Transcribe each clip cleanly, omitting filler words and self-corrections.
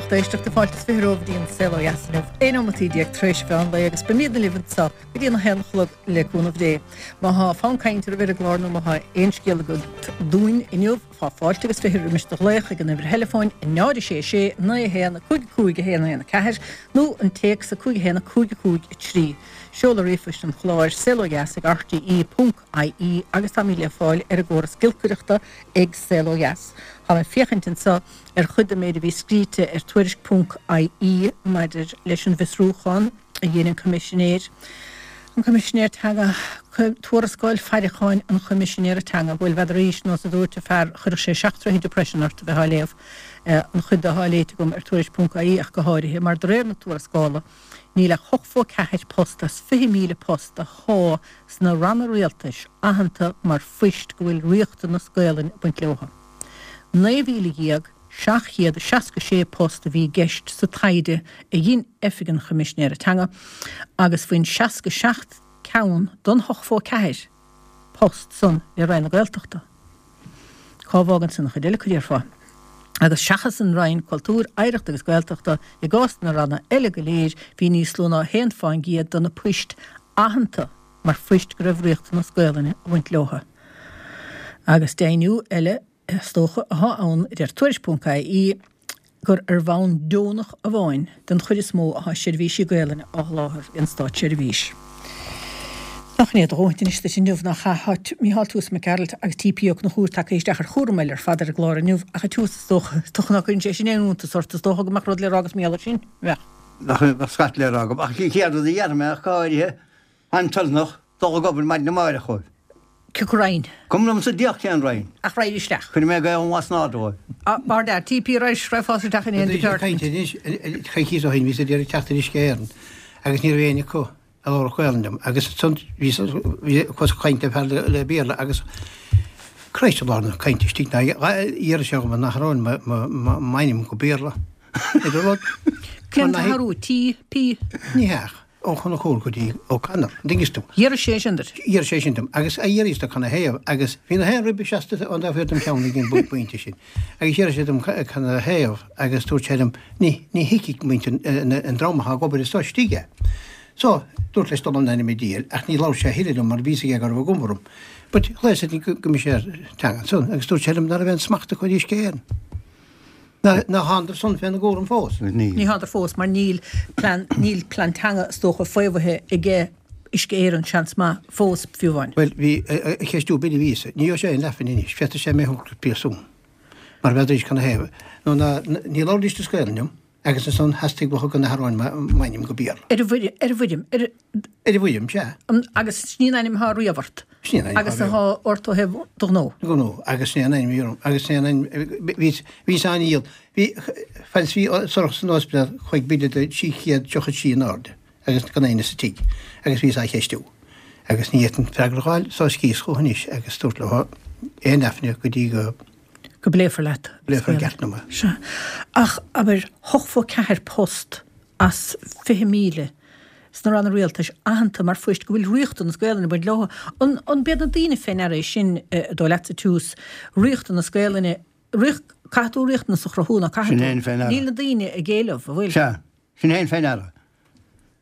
lucht éisteachta, fáilte is 20 romhaibh go dtí an Saol Ó Dheas inniu, 11 nóimeataí tar éis mheán lae agus beimidne libh anseo go dtí an 1 a chlog le cúnamh Dé. Má thá fonn cainte oraibh ar an gclár nó má thá aon scéal agat dúinn inniu, fá fáilte agus 20 roimis do ghlaoch ag an uimhir theileafóin 0 6 6 9 1 5 5 1 1 4 nó an téacs 5 1 5 5 3. Seoladh ríomhphoist an chláir, saolodheas ag rte ponc ie agus táimid le fáil ar an gcóras giolcaireachta ag Saol Ó Dheas. Táim ag féachaint anseo ar chuid den méid a bhí scríte ar Tuairisc ponc ie maidir leis an bhfiosrúchán a dhein an Coimisinéir, an Coimisinéir Teanga, Tuarascáil Faireacháin an Choimisinéara Teanga. Bhuel, n'fheadar nós a dúirt an fear, chuirfeadh sé seacht troithe depression ort a bheith á léamh, an chuid de atá léite agam ar Tuairisc ponc ie ach go háirithe, mar de réir na tuarascála, níl ach 84 post as 20,000 post athá sna ranna rialtais aitheanta mar phoist go bhfuil riachtanas Gaolainn ag baint leotha. 19,766 post a bhí i gceist sa taighde a dhein Oifig an Choimisinéara Teanga agus bhain 67 ceann don 84 post san le Roinn na Gaeltachta. Cá bhfágann san an chuid eile, a déarfá? Agus seachas an Roinn Cultúir, Oidhreachta agus Gaeltachta, i gcás na ranna eile go léir, bhí níos lú ná 1 fán gcéad de na poist aitheanta mar phoist go raibh riachtanas Gaolainne ag baint leotha. Agus deimhniú eile, is dócha, athá ann, a deir Tuairisc ponc ie, gur ar bhonn deonach amháin den chuid is mó athá seirbhísí Gaolainne á sholáthar ag an státseirbhís. Nach in é do dhóthaint anois duit inniu, nach ea? Tá Mícheál Toose Mac Gearailt agus T.P. Ó Conchúir tagtha isteach ar chúram eile ar fad ar an gclár inniu, ach a Toose, is dócha, is dócha ná cuireann sé sin aon iontas ort, is dócha go mbeadh rud le rá agat mar gheall air sin, bheadh? Bheadh scata le rá agam, ach an chéad rud a dhéarfaidh mé ach go háirithe, táim toilteanach dul ag obair maidin amáireach dhóibh. Cén Roinn? Cuma liom sa diabhal cén Roinn. Ach raghaidh isteach. Cuirfidh mé Gaolainn lasnairde dhóibh. Mar dear, TP Rice, raghfá isteach in aon department. Caint anois, coicíos ó shin, bhíos ag iarraidh teacht ar Uisce Éireann agus ní raibh éinne acu a labharfadh Gaolainn liom agus ansan bhíos ag caint le fear le Béarla agus Christ i lár na cainte istigh ná d'iarr sé dhom an athróinn m'ainm go Béarla. Idir rud. Cén t-athrú? T, P? Ní hea. Ó Conchúir go dtí O'Connor, an dtuigeanns tú. D'iarr sé sin duit. D'iarr sé sin dom. Agus a d'iarr do canathaobh agus bhí na haon rib seasta an dá thaobh dem cheann ag an bpointe sin. Agus d'iarr sé dom canathaobh agus dúirt sé liom, ní, ní thuigfidh muintir an dream atá ag obair anso istigh é. So, dúrt leis dul an ainm a dhíol ach ní labhair sé a thuilleadh liom mar bhí fhios aige go raibh an chuma orm. But ghlaos ar an gCoimisinéir Teanga ansan agus dúirt sé liom ná raibh aon smacht acu ar Uisce Éireann. Ná thánadar san féna gcúram fós? Ní thánadar fós mar níl plean, níl plean teanga is dócha faomhaithe aige Uisce Éireann seans maith fós fiú amháin. Bhuel, bhí, ag ceistiú Billy bhíos. Ní gheobhaidh sé aon leathphingin anois. Féadfaidh sé mé a thabhairt go príosún. Mar n'fheadar canathaobh. Nó ná, ní labhraídís as Gaelainn liom agus ansan theastaigh uathu go n-athróinn m'ainm go Béarla. Ar an bhfoirm, ar an bhfoirm, ar. Ar an bhfoirm, sea. Agus sin í an ainm atá riamh ort. Sin í an ainm atá riamh. Agus atá ort ó thaobh do ghnó. Gnó, agus sin í an ainm a bhí orm. Agus sin í an ainm, bhí, bhíos an-dhiail. Bhí, fad is bhí Sorcha san ospidéal, chuaigh bille de 333 in airde agus gan éinne sa tigh agus bhíos á cheistiú. Agus ní fhéadfainn freagra a fháil, so scríos chucu anois agus dúrt leo aon leathphingin go dtí go. go bpléifear leat. bpléifear i gceart liom é. Sea. Ach, abair, 84 post as 20,000 sna ranna rialtais aitheanta mar phoist go bhfuil riachtanas Gaelainne ag baint leo. An, an b'iad na daoine fé ndeara é sin, an dóigh leatsa, Toose, riachtanas Gaelainne, riach, caithfidh tú riachtanas a chruthú, ná caithfidh Sin tú? é fé ndeara. Níl na daoine ag éileamh, an bhfuil? Sea. Sin é fé ndeara.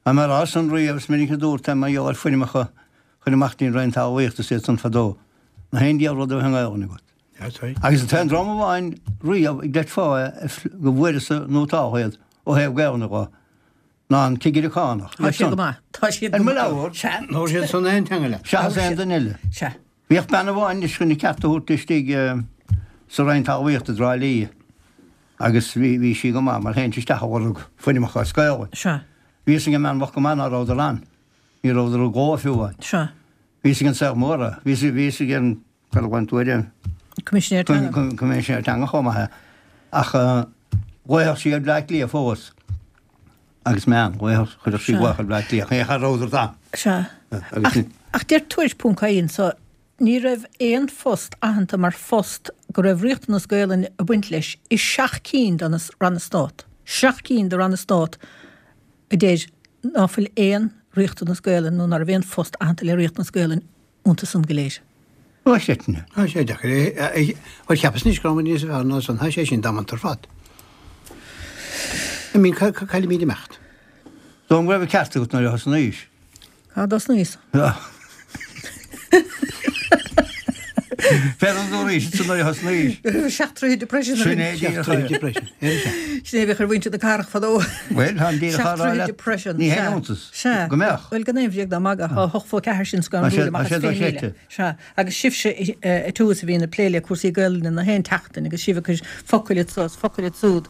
Tá mé ag rá san riamh, is minic a dúrt é mar gheall ar foirmeacha a chur amach dtí'n Roinn Talmhaíochta is iad san fadó, ná haon diabhal rud a bheith i nGaelainn agat. Agus an t-aon dream amháin riamh a gcreidfeá é go bhfuaireas-sa nótáltha iad ó thaobh Gaelainne dho, ná an cigire cánach. Tá siad go maith. Tá siad Ar go mo maith. leabhar. Sea. Labhair siad san aon teanga leat. Seachas aon duine eile. Sea. Bhíodh bean amháin anois chun a ceart a thabhairt istigh sa Roinn Talmhaíochta i dTrá Lí agus bhí sí go maith mar théinnse isteach ag lorg foirmeacha as Gaelainn. Sea. Bhí fhios ag an mbean bhocht go maith ná rabhadar ann. Ní rabhadar i gcló fiú amháin. Sea. Bhí fhios ag an saol mór é. Bhí fhios ag an Cuir an tuairim. Coimisinéir Teanga. Coimisinéir Teanga chomh maith é. Ach ghlaofadh sí ar Bhleá Cliath fós. Agus meán, ghlaofadh, chuirfeadh sí glaoch ar Bhleá Cliath. Cha rabhadar ann. Sea. Ach, ach deir Tuairisc ponc ie anso, ní raibh aon phost aitheanta mar phost go raibh riachtanas Gaelainne ag baint leis i seacht cinn de na Ranna Stát. Seacht cinn de Ranna Stát a deir ná fuil aon riachtanas Gaelainne nó ná raibh aon phost aitheanta le riachtanas Gaelainne iontu san go léir. Tá sé sin. Tá sé deacair é. Bhuel, cheapas anois go raibh muid níos fearr ná san. Tá sé sin damanta ar fad. I mean, caillfimid imeacht. Dóigh go raibh an ceart agat nuair a thosnaís. Cá dtosnaíos? Féach an dúraís san nuair a thosnaís. Seachtraithe depression. Sin é díreach. Seachtraithe depression. Sin é a bhíodh ar mhuintir na cathrach fadó. Bhuel, tá an díreach á rá Seachtraithe leat. depression. Ní haon iontas. Sea. Go mbeadh. Bhuel, gan aon bhréag ná magadh, tá 8 fó 4 sin scanrúil amach Tá as sé 20,000. dochreidte. Sea. Agus sibhse a Tús a bhíonn ag plé le cúrsaí Gaelainne na haon tseachtain agus sibh ag cur focail anso is focail ansúd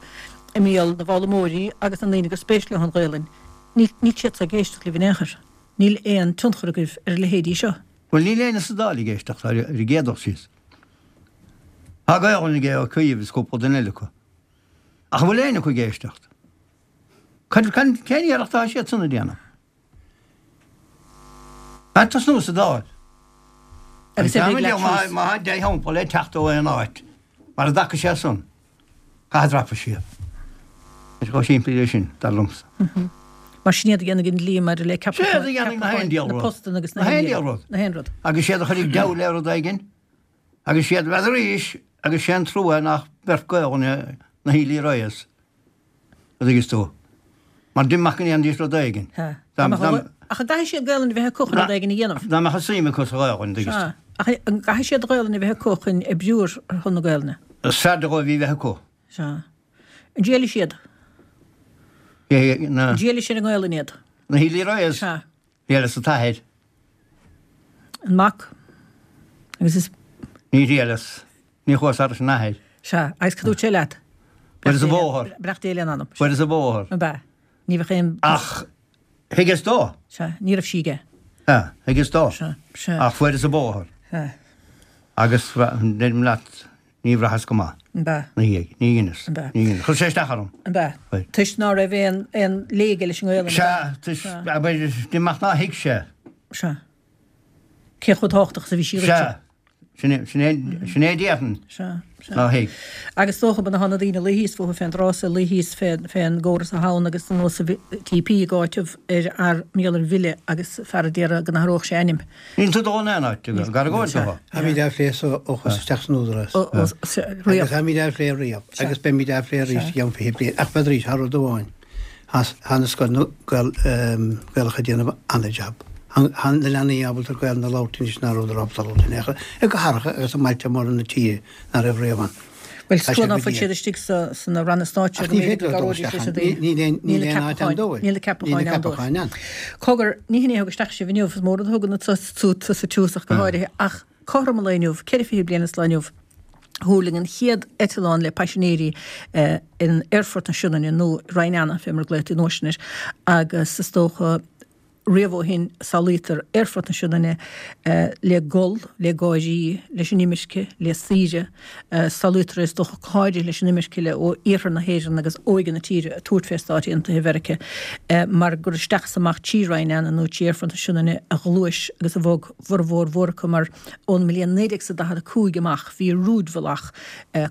i mbéal na bhfoghlaimeoirí agus na ndaoine gur spéis leo an Ghaelainn. Níl siad so ag éisteacht libh in aon chor. Níl aon tionchar agaibh ar a leithéidí seo. Bhuel, níl éinne sa Dáil ag éisteacht ar an gcéad dul síos. Tá Gaelainn ag Ó Cuív is cúpla duine eile acu. Ach an bhfuil éinne acu ag éisteacht? Cén iarracht atá siad san a déanamh? Ag tosnú sa Dáil. Agus ar bith leat síos. Má tá dea-shampla le teacht ó aon áit, mar a dtaca sé san, caithfidh dreapadh siar. Tá sé chomh simplí leis sin, dar liomsa. Mar sin iad a dhéanfaidh an dlí maidir le Sé iad a dhéanfaidh na haon diabhal na rud. postanna agus Na haon diabhal rud. Na haon rud. Agus siad a chuirfidh deabhal le rud éigin, agus siad, bheadh arís, agus sé an trua nach beirt Gaelainne na Healy Raes. a dtuigeas tú. Mar d'imigh go ndéanfaidís rud éigin. Sea. Dá mbeadh, ach an gcaithfidh siad Gaelainn a bheith acu chun rud éigin a dhéanamh? Dá mbeadh suim acu sa Ghaelainn, a dtuigeas tú. Sea. Ach an gcaithfidh siad Gaelainn a bheith acu chun oibriú ar shon na Gaelainne? Is fearrde dhóibh í bheith acu. Sea. An dtriailfidh siad? Na. An dtriailfidh siad an nGaelainn iad? Na Healy Raes? Sea. Thriaileas an t-athair. An mac. Agus is. Ní thriaileas. Ní chuas thairis an athair. Sea, agus cad dúirt sé leat? Fuaireas an bóthar. Beannacht Dé lena anam. Fuaireas an bóthar. Ab ea? Ní bheadh aon. Ach thuigeas dó. Sea, ní raibh sí aige. Sea, thuigeas dó. Sea, sea. Ach fuaireas an bóthar. Sea. Agus deirim leat, ní bhraitheas go maith. Ab ea? Ina dhiaidh. Ní dheineas. Ab ea? Ní dheineas. Chuir sé isteach orm. Ab ea? Chuir. Toisc ná raibh aon, aon lé aige leis an nGaelainn, ab ea? Sea, toisc, abair, d'imigh ná thuig sé. Sea. Cé chomh tábhachtach is a bhí sí dhuitse. Sea. Sin é, sin é, sin é déarfainn. Sea, sea. Ná thuig. Agus is dócha, tá na daoine ag luí thíos fúthu fén dtráth so, ag luí thíos fén, fén gcóras atá ann agus an nós a bhí TP ag áiteamh ar fhear mar gheall ar bhille agus fear a d'iarraidh go n-athródh sé a ainm. Níl tú dul in aon áit, gar go bhfuil tú. Táimid á phlé so ó chuas isteach san Údarás. Riamh. Agus táimid á phlé riamh. Agus beimid á phlé arís i gceann 20 bliain. Ach b'fhéidir arís, thar rud amháin. Tá na scoileanna Gaelacha ag déanamh an-jab. Tá na leanaí ábalta Gaelainn a labhairt anois ná rabhadar ábalta a labhairt in aon chor i gcathracha agus i mbailte móra na tíre ná raibh riamh ann. Bhuel, is trua ná fuil siad istigh sna ranna stáit seo Ach ní féidir leo dul isteach ann. Níl aon áit ann dóibh. Níl na ceapacháin ann dóibh. Cogar, ní hin é a thug isteach sibh inniu, is mór rud a thugann tusa tús ach go háirithe, ach cothrom an lae inniu, 24 bliain is lá inniu, Thuirling an chéad eitleán le paisinéirí in Aerfort na Sionainne, nó Ryan Anna, fé mar a glaotaí an uair sin air, agus is dócha riamh ó shin samhlaítear Aerfort na Sionainne le gol, le gáirí, leis an imirce, le saoire. Samhlaítear é is dócha go háirithe leis an imirce le ó iarthar na hÉireann agus óige na tíre ag tabhairt fé Stáit Aontaithe Mheiriceá mar gur isteach is amach trí Ryan Anna nó trí Aerfort na Sionainne a ghluais agus a bhog bhformhór mhór acu mar ón mbliain 1945 amach bhí rúidbhealach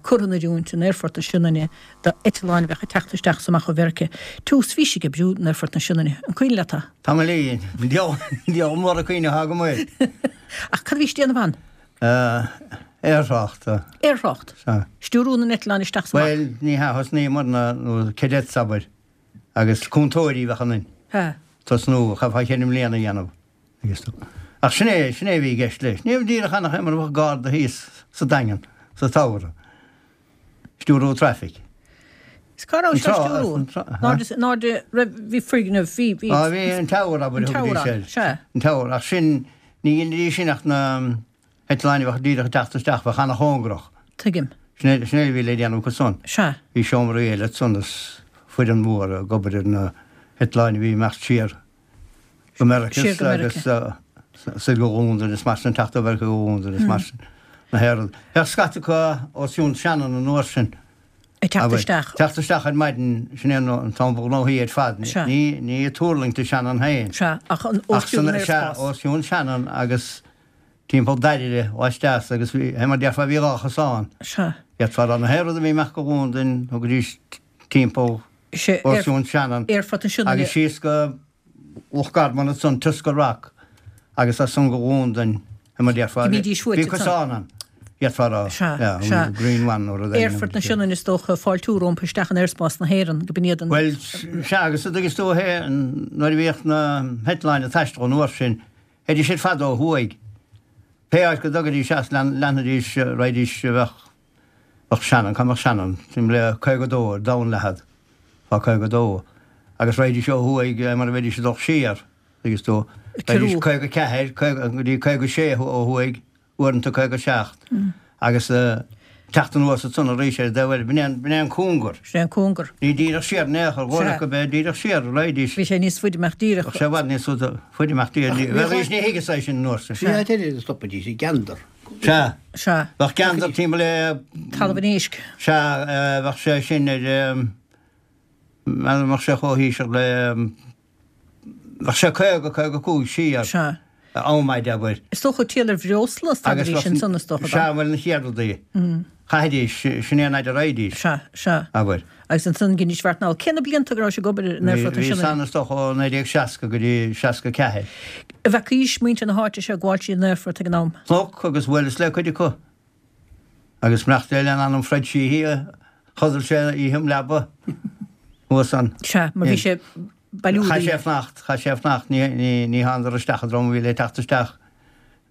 curtha in oiriúint in Aerfort na Sionainne do eitleáin a bheadh ag teacht isteach is amach ó Mheiriceá. Tús, bhís ag oibriú in Aerfort na Sionainne. An cuimhin leat é? Tamall éigin. Diabhal mór an cuimhne atá agam air. Ach cad a bhís ag déanamh ann? Aerthrácht. Aerthrácht? Sea. Stiúrú na n-eitleán isteach is amach? Bhuel, ní hea, thosnaíomar na cadets, abair, agus cúntóirí a bheadh ionainn. Sea. Tosnú, chaithfeá cheithre mbliana a dhéanamh. Agus tú. Ach sin é, sin é a bhí i gceist leis. Ní raibh díreach ann ach é mar a bheadh garda thíos sa Daingean sa tsamhradh. Stiúrú traffic. Is cá raibh sé á stiúrú? Ná de raibh, bhí foirgneamh, bhí, bhí. Á, bhí an tower, abair, An tower ann, sea. An tower, ach sin, ní dheinidís sin ach na heitleáin a bheadh díreach ag teacht isteach, bheadh ana-chóngarach. Tuigim. Sin é, sin é a bhí le déanamh acu san. Sea. Bhí seomraí eile ansan is foireann mhór ag obair ar na heitleáin a bhí ag imeacht siar. Go Meiriceá agus soir go Londain is mar sin, teacht ó Mheiriceá go Londain is mar sin. Na hÉireann. Bheadh scata acu os cionn Shannon an uair sin. Ag teacht isteach. Teacht isteach ar maidin, sin é an t-am ba ghnóthaí ar fad. Sea. Ní, ní ag tuirlingt i Shannon féin. Sea, ach an os cionn an aerspás. Sea, os cionn Shannon agus timpeall Dairire laisteas agus bhí, mar déarfá, bhí dhá chosán. Sea. D'fhéadfá rá na hÉireann a bhí amach go Londain, thugaidís timpeall os cionn Shannon agus síos go Loch Garman ansan, Tusker Rock agus as san go Londain, mar déarfá. Bhí cosán ann. D'fhéadfá a rá. Sea, Yeah, sea. Green One nó rud éigin. Aerfort na Sionainne is dócha, fáiltiú rompu isteach in aerspás na hÉireann, go b'in iad an. Bhuel, sea, agus an dtuigeann tú é, nuair a bhíodh na heitleáin ag taisteal an uair sin, théidís siad fada ó thuaidh. Pé áit go dtugaidís as, leanfaidís, raghaidís, bheadh, bheadh Shannon, cá mbeadh Shannon? Timpeall le 52 ar domhanleithead, fá 52, agus raghaidís ó thuaidh mar a bheidís ag dul siar, tuigeann tú, raghaidís 54, 50, go dtí 56 ó thuaidh, uaireanta 57, agus teacht anuas ansan arís ar an dtaobh eile. B'in é an, b'in é an cóngar. Sin é an cóngar. Ní díreach siar in aon chor, dhóigh go b'é díreach siar a raghaidís. Bhí sé níos faide amach díreach. Bheadh sé i bhfad níos faide amach díreach. Bheadh arís, ní thuigeas é sin an uair sin. Bhí áit eile a stopaidís, i gCeandar. Sea. Sea. Bheadh Ceandar timpeall le. Talamh an Éisc. Sea, bheadh sé sin ar, mbeadh sé chomh híseal le. Bheadh sé 50, 55 siar. Sea. Am fhaid, abair. Is dócha triall ar bhreosla a stadaidís ansan, is dócha. Sea, bhuel, na chéad rudaí. Chaithfidís, sin é an fhaid a raghaidís. Sea, sea. Abair. Agus ansan dheinidís beart anall. Cé na blianta go raibh sibh ag obair in Aerfort na Bhí Sionainne? san, is dócha, ó 1960 go dtí 64. An bhfeacaís muintir na háite seo ag gabháil tríd an aerfort ag an am? Chonac agus bhuaileas le cuid acu. Agus beannacht Dé lena anam Fred Sheehy a chodail sé oíche im leaba thuas ann. Sea, mar bhí sé bailiú Chaith sé fanacht, chaith sé fanacht, ní, ní, ní thánadar isteach an dream a bhí le teacht isteach.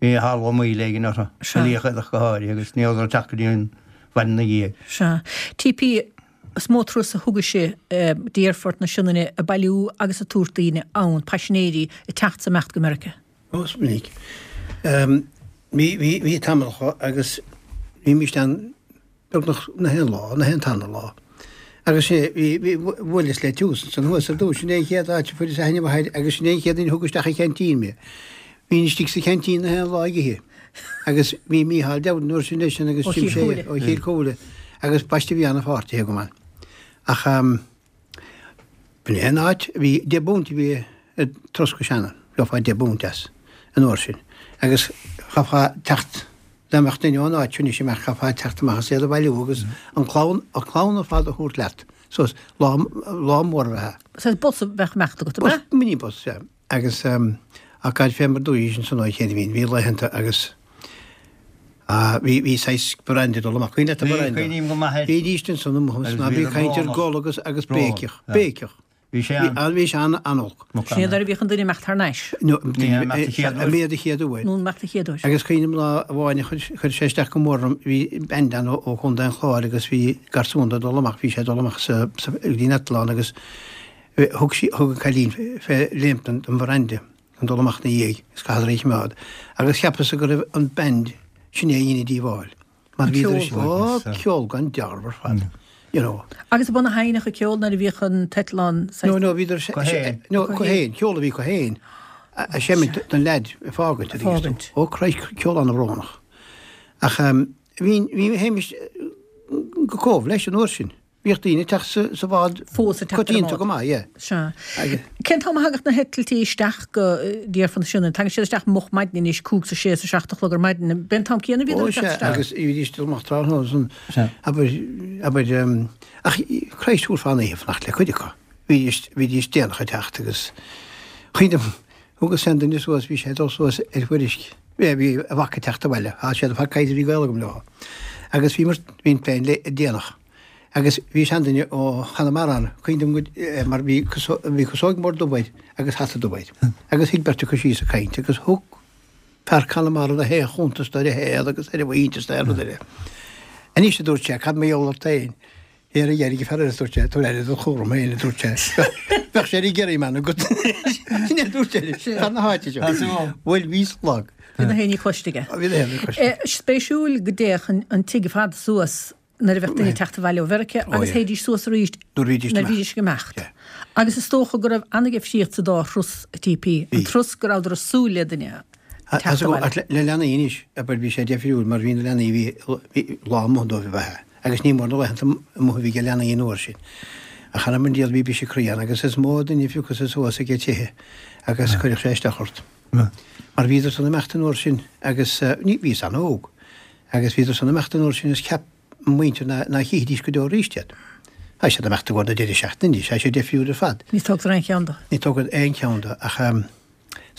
Bhí tharla moill éigin orthu, Sea. a Liachaodach go háirithe, agus ní rabhadar ag teacht go dtí an mhaidin ina dhiaidh. Sea. TP, Is mó turas a thugaidh sibh dtí Aerfort na Sionainne ag bailiú agus ag tabhairt daoine ann, paisinéirí, ag teacht 's ag imeacht go Meiriceá. Ó, is minic. Bhí, bhí tamall acu agus bhímist ann beagnach na haon lá, na haon tarna lá. Agus sé, bhí, bhí, bhuaileas le Tiús ansan thuas ar dtús, sin é an chéad áit a fuaireas aithne mhaith air agus sin é an chéad duine a thug isteach an cheaintín mé. Bhínn istigh sa cheaintín na haon lá ag ithe. Agus bhí Mícheál Dowden an uair sin leisean agus Ó Jim Chill Shea Chúile. ó Chill Chúile agus b'aisteach bhí ana-pháirtithe agam ann. Ach b'in é an áit, bhí deich bpunt a bhí ar turas go Shannon, gheofá deich bpunt as an uair sin. Agus chaithfeá teacht, dá mbeadh duine ón áit seo anois amach, chaithfeá teacht amach is iad a bhailiú agus an clann, an clann ar fad a thabhairt leat suas, lá, lá mór a bheadh ann. Saghas bus a bheadh ag imeacht agat, ab ea? Bus, minibus, sea. Agus ach gad fé mar dúirt ansan ó chéad bhí, bhí laethanta agus bhí, bhí saghas brandy ag dul amach. Cuimhin leat an Bhí, brandy? cuimhním go maith air. Bhídís ansan amuigh Agus ná bí bhíodar caint ar brónach. gol agus, agus Brón, béiceach, yeah. béiceach. Bhí sé Bhí an. an, bhí sé an, an-olc. Sin iad nuair a bhíodh an duine ag imeacht thar n-ais. No, Ní ag imeacht a chéad uair. Bhí a chéad uair. Nó imeacht a chéad uair. Agus cuimhním lá amháin a chuir, chuir sé isteach go mór orm, bhí band ann ó, ó Chontae an Chláir agus bhí garsún ag dul amach, bhí sé ag dul amach sa, sa, go dtí an eitleán agus Thug sí, thug an cailín fé léimt don bhranda chun dul amach 'na dhiaidh is chaitheadar í a choimeád agus cheapas-sa go raibh an band sin é a dhein an díobháil mar bhíodar Ceol. Ó, ceol gan dealramh ar fad, you know. Agus ab ionann a sheinneadh an ceol nuair a bhíodh an t-eitleán saghas. No, no, bhíodar, Acu féin. no, acu féin, ceol a bhí acu féin a seimint don leaid ag fágaint, a Fágaint. Ó, Christ, ceol ana-bhrónach. Ach bhí, bhí, théimis go Cóbh leis an uair sin. Bhíodh daoine ag teacht sa bhád Fós ag teacht ar an coitianta mbád. go maith, yeah. Sea. Agus. Cén t-am a thagadh na heitiltí isteach go dtí Aerfort na Sionainne? Tagann siad isteach moch maidin anois, cúig is a sé is a seacht a chlog ar maidin. B'é an t-am céanna a bhíodar Ó ag teacht sea, isteach? agus bhídís ag dul amach tráthnóna san, Sea. abair, abair, ach Christ thabharfá an oíche fanacht le cuid acu. Bhídís, bhídís déanach ag teacht agus cuimhním, thugas seanduine suas, bhí sé ag dul suas ar Mhuirisc, bhí, bhí a mhac ag teacht abhaile, tá siad ag caint, bhí gaol agam leo. Agus bhíomar, bhí an plane late, déanach. Agus bhí seanduine ó Chonamara ann, cuimhin liom go, mar bhí bhí casóg mór dubh air agus hata dubh air. Agus shuigh beirt acu síos ag caint agus thug fear Conamara na haon chuntas dó ar a shaol agus ar a mhuintir is ar rud eile. Anois, a dúirt sé, cad mar gheall ort féin? Ar a dheireadh, fear eile, a dúirt sé, tabhair aire do chúram féin, a dúirt sé. Bheadh sé ar an gCerryman agat. Sin é a dúirt sé leis, fear na háite seo. Bhuel, bhíos lag. Bhí na haon ní cloiste aige. Bhí na haon ní cloiste. Spéisiúil go dtéadh an tigh ar fad suas nuair a bheadh duine ag teacht abhaile ó Mheiriceá agus théidís suas arís nuair a bhídís ag imeacht. Agus is dócha go raibh an-difríocht sa dá thuras, a TP, an turas go rabhadar ag súil le duine ag teacht abhaile. Ach le leanaí anois, abair, bhí sé difriúil mar bhí na leanaí, bhí lá amuigh dóibh ab ea agus ní mór na laethanta amuigh a bhí ag leanaí an uair sin. Ach thar am an diabhal bhí biseach croí ann agus is mó duine a phiocfadh suas ag tithe agus chuirfeadh sé isteach ort. Mar bhíodar san imeacht an uair sin agus ní, bhíos an-óg. Agus bhíodar san imeacht an uair sin is cheap mo mhuintir ná chífidís go deo arís iad. Tá siad ag imeacht i gcomhair na deireadh seachtaine anois, tá sé deifriúil ar fad. Ní tógtar aon cheann de. Ní tógtar aon cheann de ach.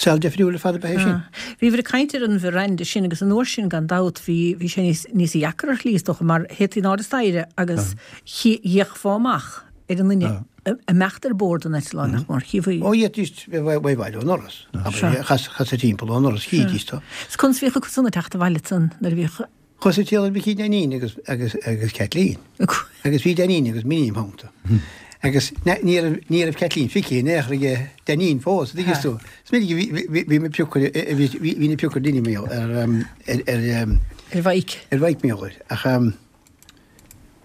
Saol difriúil ar fad ab ea é sin. Bhíobhair ag caint ar an verandah sin agus an uair sin gan dabht bhí bhí sé níos níos deacra ar shlí is dócha mar théití in airde staighre agus d'fhéachfá amach ar an nduine ag imeacht ar bord an eitleáin nach mór. Chífí. Ó d'fhéadfaidís bheith bhaile ón ndoras. Chas timpeall ón ndoras chídís tú. Is conas a bhíodh acu san ag teacht abhaile ansan nuair a bhíodh. Chuas ag triall ar Mhicí Dainín agus agus agus Caitlín. Agus bhí Dainín agus Minnie im theannta. Agus ní raibh ní raibh Caitlín feicthe in aon chor aige Dainín fós, an dtuigeann tú. Is minic a bhí bhí bhí mé piocadh bhí bhí na piocadh duine mé ar ar ar Ar Mhaidhc. Ar Mhaidhc mé air. Ach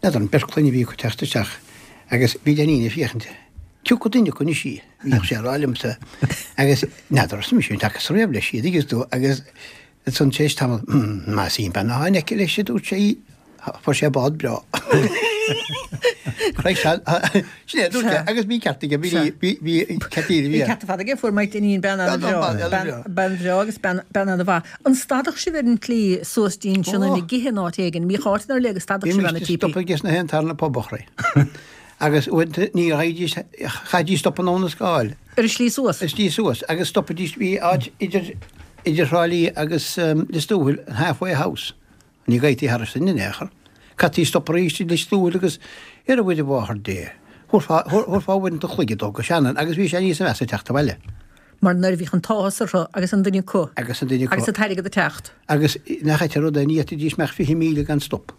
n'fheadar an beirt clainne a bhí acu teacht isteach agus bhí Dainín ag féachaint. Tiocfaidh duine acu anois í, bhíodh sé ag rá liomsa. Agus n'fheadar arsa mise an dtacas riamh leis í, an dtuigeann tú, agus Ansan tar éis tamaill, Más í an bean athá in aice leis, a dúirt sé, fuair sé bád breá. Chroith sé, sin é a dúirt sé, agus bhí ceart aige, bhí, bhí, bhí Caitlín, bhí. Bhí ceart ar fad aige, fuair Mike Dineen bean ana-bhreá, bean bhreá agus bean, bean ana-mhaith. An stadadh sibh ar an tslí suas dtí an Sionainn ag ithe in áit éigin? Mbíodh áiteanna ar leith go stadadh sibh ann ag TP? Bhímis ag stopadh ages na haon tarna pub a chroí. Agus uaireanta ní raghaidís, chaithfidís stop in Abha na Scáil. Ar an slí suas. Ar an slí suas. Agus stopaidís, bhí áit idir, idir Thrá Lí agus Lios Tuathail, an Halfway House. Ní ghaibhtí thairis sin in aon chor. Caití stop arís i Lios Tuathail agus, ar a Mhuire Mháthair Dé, thabharfá, thabharfá uaireanta an chloig ag dul go Shannon agus bhí sé níosa mheasa ag teacht abhaile. Mar nuair a bhíodh an t-áthas orthu agus an duine acu. Agus an duine acu. Agus an t-airgead ag teacht. Agus nach ait an rud é, ní fhéadfaidís mbeadh 20,000 gan stop.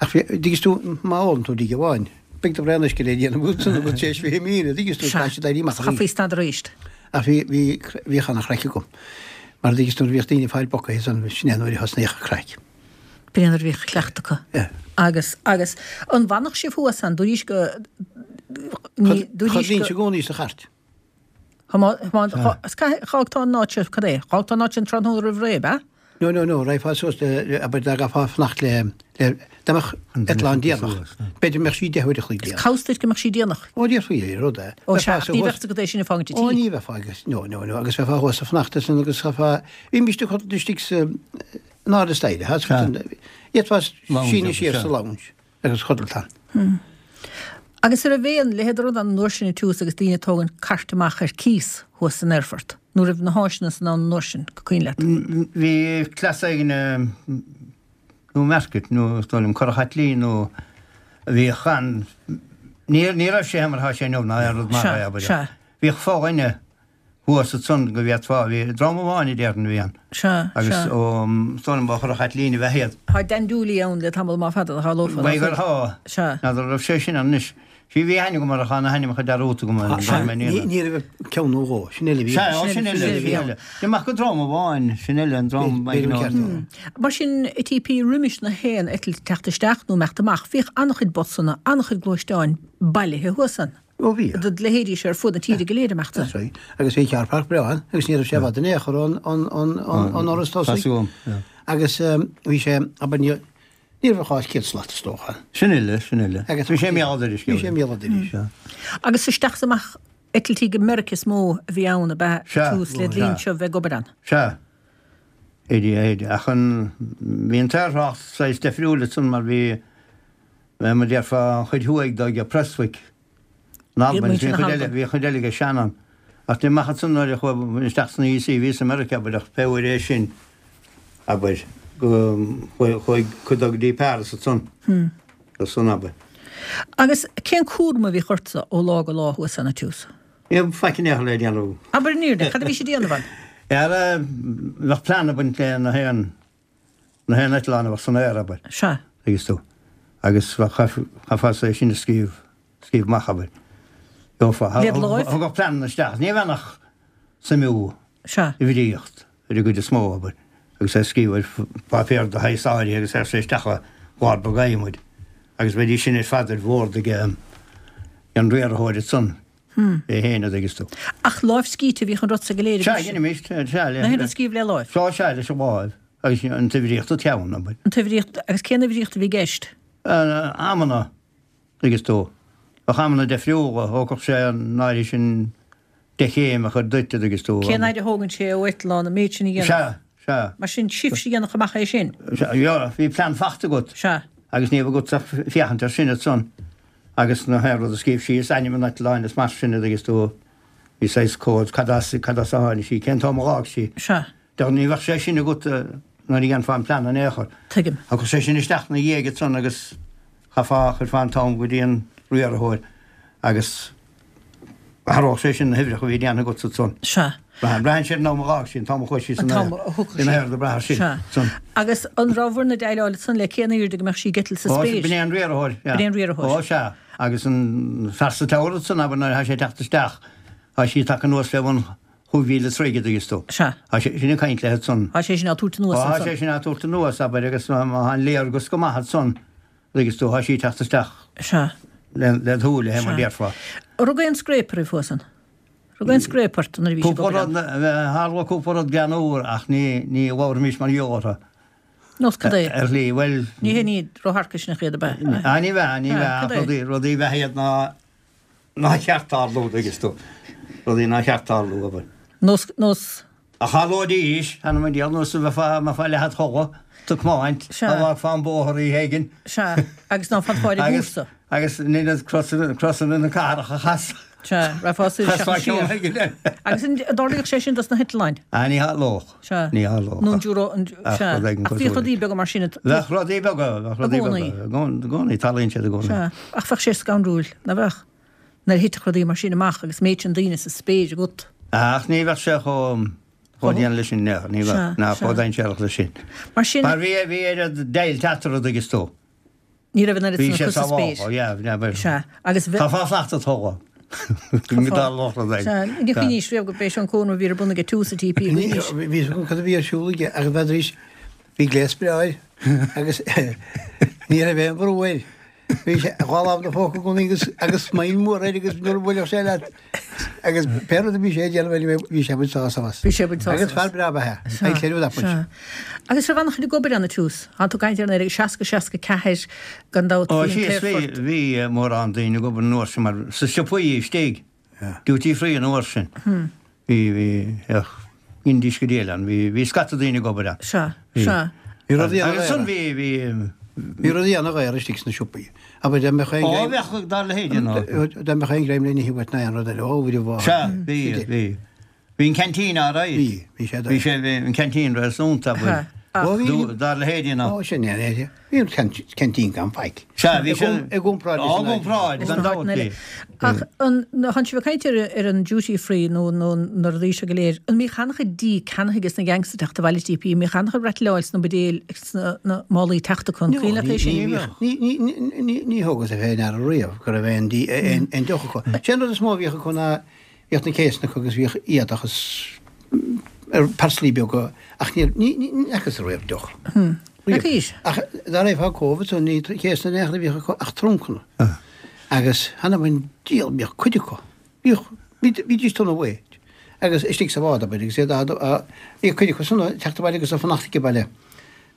Ach bhí, dtuigeann tú, má ólann tú deoch amháin, beidh do bhraon uisce le déanamh agat san agat tar éis 20,000, dtuigeann tú, caithfidh siad éirí amach arís. Chaithfí stad arís. Ach bhí, bhí, bhíodh ana-chraic agam. Mar dtuigeann tú, nuair a bhíodh daoine ag fáil bocaithe san, sin é nuair a thosnaíodh an craic. B'in é nuair a bhíodh cleachtadh acu. Yeah. Agus, agus, an bhfanadh sibh thuas ann, dúraís go, ní, dúraís go. Chodlaínnse i gcónaí sa chairt. Dh'fhágfá an áit seo, cad é? Dh'fhágfá an áit sin tráthnóna roimh ré, ab ea? No, no, no, raghfá suas le, abair, dá gcaithfeá fanacht le, le, dá mbeadh eitleán déanach, b'fhéidir go mbeadh sí deich uair a chloig déanach. Is cá bhfios duit go mbeadh sí déanach? Ó, déarfaí é, rud é. Ó, sea, ach ní bheadh agat é sin a fhágaint i tí. Ó, ní bheifeá agus, no, no, no, agus bheifeá thuas ag fanacht ansin agus chaithfeá, bhímist ag codlata istigh sa, in airde staighre, d'fhéadfá síneadh siar sa lounge. Agus chodlata ann. Agus an raibh aon leithéid de rud ann an uair sin ag tús agus daoine ag tógaint cairt amach ar cíos thuas san aerfort? Nó raibh na háiseanna san ann an uair sin, go cuimhin leat? Bhí cleas éigin i Newmarket nó is dóigh liom Currach Chaitlín nó a bhíodh ann, ní raibh sé mar atá sé inniu ná aon rud mar é, abair. Bhíodh fo-dhuine thuas ansan go bhféadfá, bhí dream amháin a déarfainn a bhí ann. Sea, Agus sea. ó, is dóigh liom ba ó Churrach Chaitlín ab ea iad. Tá Dan Dooley ann le tamall maith fada, nach ea? B'fhéidir gur thá. Sea. N'fheadar an raibh sé sin ann anois. Sea, bhí aithne agam air ach tá na hainmneacha dearúdta agam ar Sea, ní, ní raibh ach ceann nó dhó, sin uile a bhí Sea, ó, sin uile, sin uile. Ní maith go dream amháin, sin uile an dream B'fhéidir an ceart é. Mar sin, i TP roimis na haon eitilt teacht isteach nó imeacht amach, bhíodh an-chuid busanna, an-chuid gluaisteáin bailithe thuas ann. Ó bhí. Do leithéidí seo ar fud na tíre go léir amach That's right. Agus bhí carr park breá ann agus ní raibh sé i bhfad in aon chor ón ón áras tosaigh. Agus bhí sé, abair, ní ní raibh ach 100 slat is dócha. Sin uile, sin uile. Agus bhí sé i mbéal dorais. Bhí sé i mbéal dorais. Agus isteach is amach eitiltí go Meiriceá is mó a bhí ann ab ea tús le linn seo bheith ag obair ann? Sea. Éide, éide. Ach an, bhí an t-aerthrácht saghas deifriúil ansan mar bhí, Mar a déarfá, an chuid thuaidh de ag Prestwick in Albain, bhí an chuid eile, bhí an chuid eile ag Shannon. Ach ní amach ansan nuair a chuaigh isteach sna EC, bhíos i Meiriceá, abair, ach pé uair é sin, abair, go, chuaigh cuid dó go dtí Paris ansan, ansan, abair. Agus cén cúram a bhíodh ortsa ó lá go lá thuas ann ag tús? Ní raibh faic in aon chor le déanamh. Abair an fhírinne, cad a bhís ag déanamh ann? Ara, bheadh plean ag baint le na haon na haon eitleán a bheadh san aer, abair. Sea. Thuigeas tú. Agus chaithfeá é sin a scríobh, scríobh amach, abair. Gheofá. Led láimh? Thugadh pleananna isteach. Ní bheadh ach suimiú. Sea. Uimhríocht ar an gcuid is mó, abair. Agus é a scríobh ar pháipéar de shaghas áirithe agus é isteach i gclár beag adhmaid. Agus bheidís sin ar fad ar bhord ag an riarthóir ansan. É féin, a dtuigeas tú. Ach lámhscríte a bhíodh an rud so go léir Sea, dheinimist, sea, le. Na haon rud scríobh le láimh. Sea, sea, leis an láimh. Agus an t-uimhríocht an ceann, abair. An t-uimhríocht, agus cén uimhríocht a bhí i gceist? Amanna, dtuigeas tú. Bheadh amanna deifriúla, thógfadh sé an áirithe sin de chéim a chur duit, a dtuigeas tú. Cén fhaid a thógann sé ó eitleán an méid sin a dhéanamh? Sea, sea. Mar sin, sibhse a dhéanfadh amach é sin? Sea, bhí plean fachta agat. Sea. Agus ní bheadh agat ach féachaint air sin ansan. Agus na haon rud a scríobh síos, ainm an eitleáin is mar sin, a dtuigeas tú. Bhí saghas comhad, cad as, cad as a tháinig sí, cén t-am a dh'fhág sí. Sea. Dar ní bheadh sé sin agat nuair a dhéanfá an plean in aon chor. Tuigim. Thiocfadh sé sin isteach 'na dhiaidh ansan agus chaithfeá, chuirfeá an t-am go dtí an riarthóir agus athródh sé sin na huimhreacha a bhí déanta agatsa ansan. Sea. Braitheann, braitheann sé ar an am a dh'fhág sí, an t-am a chuaigh sí san aer. An t-am a thiocfadh sí. In aer do braitheadh sin. Sea. San. Agus an rabhabhair ag déileáil ansan le cén aoirde go mbeadh sí ag eitilt sa Ó, spéir? b'in é an riarthóir, yeah. B'in é an riarthóir. Ó, sea. Agus an fear sa tower ansan, abair, nuair atá sé ag teacht isteach, tá sí tagtha anuas fé bhun chúig mhíle troigh, an dtuigeann tú. Sea. Tá sé sin ag caint leis ansan. Tá sé sin á tabhairt anuas ansan. Tá sé sin á tabhairt anuas, abair, agus má tá an léargas go maith ansan, an dtuigeann tú, tá sí ag teacht isteach. Sea. Le do shúile, mar Sea. déarfá. An raibh aon scréip oraibh thuas ann? An raibh aon scréip ort nuair a bhís ag Cúpla obair rud, ann? tharla cúpla rud greannmhar ach ní, ní labharfaimis mar gheall orthu. Nós cad é? Ar shlí, bhuel. Ní hé ní rótharcaisneach iad ab ea? Ah, ní bheadh, ní Ah, bheadh, cad ach é? rudaí, rudaí bheadh iad ná, nár cheart tarlú, an dtuigeann tú. Rudaí nár cheart tarlú, abair. Nós, nós. Ach tharlóidís, th'anam 'on diabhal, nós a bheifeá, mbeifeá leath id chodladh, ag tiomáint, Sea. dá bhfágfá an bóthar oíche éigin. Sea, agus ná fanfá ar an Agus, gcúrsa. agus in ionad crosanna, crosanna na cathrach a chasadh. Sea, rachfá soir Chasfá isteach ceann siar. éigin eile. Agus an dtarlaíodh sé sin dos na heitleáin? Ah, ní tharlódh. Sea. Ní tharlódh. Nó an dúro, an, Ach sea. rud éigin Ach bhíodh cosúil. rudaí beaga mar sin. Bheadh rudaí beaga, bheadh rudaí I gcónaí. beaga. I gcónaí, i gcónaí, tarlaíonn siad i gcónaí. Sea. Ach bheadh sé scanrúil, ná beadh? Nuair a thitfeadh rudaí mar sin amach agus méid sin daoine sa spéir agat. Ach ní bheadh sé chomh, chomh dian leis sin, ní bheadh, Sea, ná sea. chomh dainséarach leis sin. Mar sin. Mar bhí, bhí oiread deighilt eatarthu, an dtuigeann tú. Ní raibh an oiread Bhí san sé acu sa spéir. sábhálta, yeah, yeah, but. Sea, agus bhe. Tá fá slacht a toghadh. Go dtarlódh rud éigin. Sea, ní chuimhníos riamh go b'é seo an cónra a bhí ar bun aige tús an TP, chuimhníos. Bhí fhios agam cad a bhí ar siúl aige ach bheadaís, bhí gléas breá air agus ní raibh aon bhrú air. Bhí sé dhá lámh ina phóca i gcónaí agus agus smile mór air agus nuair a bhuailfeadh sé leat agus pé rud a bhí sé ag déanamh anyway bhí sé ag baint sásamh as. Bhí sé ag baint sásamh Agus fear breá ba ea. Sea, I tell you that much. sea. Agus raibh an-chuid ag obair ann ag tús. Tá tú ag caint ar 1960, 64 gan dabht Ó bhí an sea, bhí, t-aerfort. bhí mórán daoine ag obair an uair sin mar sa siopaí istigh, duty free an uair sin. Bhí, bhí, ach dheinidís go diail ann, bhí, bhí scata daoine ag obair ann. Sea, Bhí. sea. Bhí rudaí Agus an-dhaor ansan bhí, bhí. Bhí rudaí an-dhaor istigh sna siopaí. Abair dá mbeadh aon Ó, ghreim, bheadh, dá leithéid ann. dá mbeadh aon ghreim le n-ithe uait ná aon rud eile, ó, bhí a Sea, bhí, bhí. Bhí an canteen alright. Bhí, bhí sé Bhí sé, bhí an canteen réasúnta, abair. Ach. Ó, bhí. Dá leithéid ann. Ó, sin é, é. Bhí an canteen gan faic. Sea, bhí sé. I gcomparáid leis an. Á, i gcomparáid, gan dabht, bhí. Ach an, tánn sibh ag caint ar, ar an duty free nó, nó na rudaí seo go léir, an mbíodh an-chuid dí ceannaithe ages na gangs ag teacht abhaile TP, an mbíodh an-chuid rattleáil sna buidéil agus sna, na málaí teacht acu, an cuimhin leat é sin? Ní, ní, ní, ní, ní thógas fé ndeara riamh go raibh aon dí, aon, aon deoch acu. Sé an rud is mó a bhíodh acu ná Bhíodh na céasanna acu agus bhíodh éadach is parcelaí beaga ach ní fhacas riamh deoch. Riamh. Ach dá raghfá Cóbh ansan ní céasanna in aon chor a bhíodh acu ach truncanna. Agus th'anam 'on diabhal bhíodh cuid acu. Bhíodh, bhídís tona bhuí agus istigh sa bhád abair agus iad á, bhíodh cuid acu san ag teacht abhaile agus ag fanacht age baile.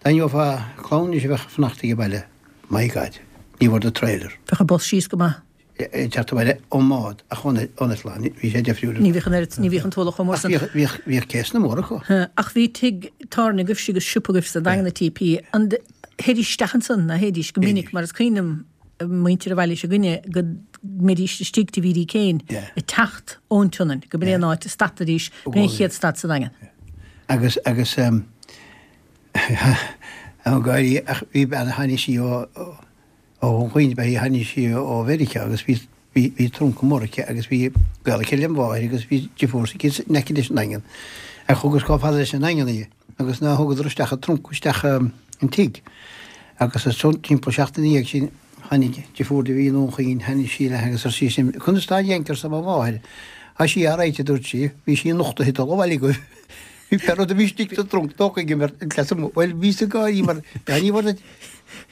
Dá ngeofá clann anois a bheadh ag fanacht age baile, my God, ní bhfuair do trailer. Bheadh an bus síos go maith. ag teacht abhaile ón mbád ach ón eitleán, bhí sé difriúil. Ní bhíodh an oiread, ní bhíodh an t-ualach chomh mór san. Ach bhíodh, bhíodh céasanna móra acu. Ach bhí tigh tábhairne agaibhse agus siopa agaibh sa Daingean a TP. An dthéidís isteach ansan, ná théidís, go minic mar is cuimhin liom muintir an bhaile s'againne go mbeidís istigh tigh Bhídí Kane ag teacht ón tSionainn, go b'in é an áit a stadfaidís, b'in é an chéad stad sa Daingean. Agus, agus, an gáirí, ach bhí bean a tháinig sí ó, Ó Dhún Chaoin ab ea í, tháinig sí ó Mheiriceá agus bhí bhí trunca mór aici agus bhí gaol aici lem mháthair agus bhí deirfiúr s'aici in aice leis an nDaingean. Ach thugas chomh fada leis an nDaingean í agus ná thugadar isteach an trunca isteach an tigh. Agus ansan timpeall seachtain ina dhiaidh sin tháinig deirfiúr di a bhí i nDún Chaoin, tháinig sí léi agus ar sise, Conas tá an Yank arsa mo mháthair. Tá sí alright a dúirt sí, bhí sí anocht ag dul abhaile agaibh. Bhí pé rud a bhí istigh sa trunc tógtha aige mar an cleas amuigh. Bhuel bhíos ag gáirí mar ní bhfuair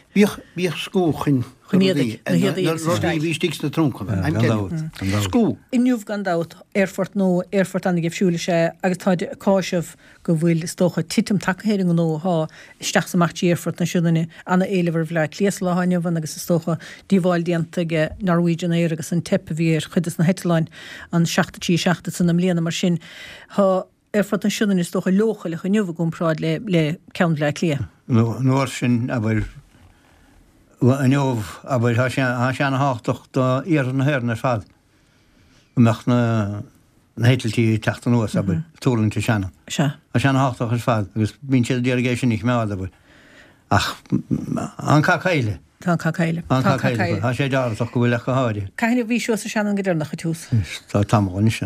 Bhíodh, bhíodh scú chun Chun éadaigh, na héadaí na agus rudaí a bhí istigh sna truncanna, I'm telling you. Scú. Inniu gan dabht, aerfort nua, aerfort an-gheimhsiúil is ea agus táid ag cáiseamh go bhfuil, is dócha, titim tagtha ar an ngnó athá isteach is amach trí aerfort na Sionainne. Ana-éileamh ar Bhleá Cliath sa lá athá inniu ann agus is dócha díobháil déanta ag Norwegian Air agus an teip a bhí ar chuid des na heitleáin, an 737 ansan i mbliana. Mar sin, thá. Aerfort na Sionainne is dócha leochaileach inniu i gcomparáid le le ceann Bhleá Cliath. An uair sin, abair, inniu, abair, tá sé, tá sé ana-thábhachtach do iarthar na hÉireann ar fad go mbeadh na. na heitiltí ag teacht anuas, abair, ag tuirlingt i Shannon. Sea. Tá sé ana-thábhachtach ar fad agus bíonn siad ag iarraidh é sin a choimeád, abair. Ach an cath caille. Tá an cath caille. Tá an cath caille. Tá sé dearfach go bhfuil ach go háirithe. Cathain a bhís suas i Shannon go deireanach ag tús? Tá tamall anois.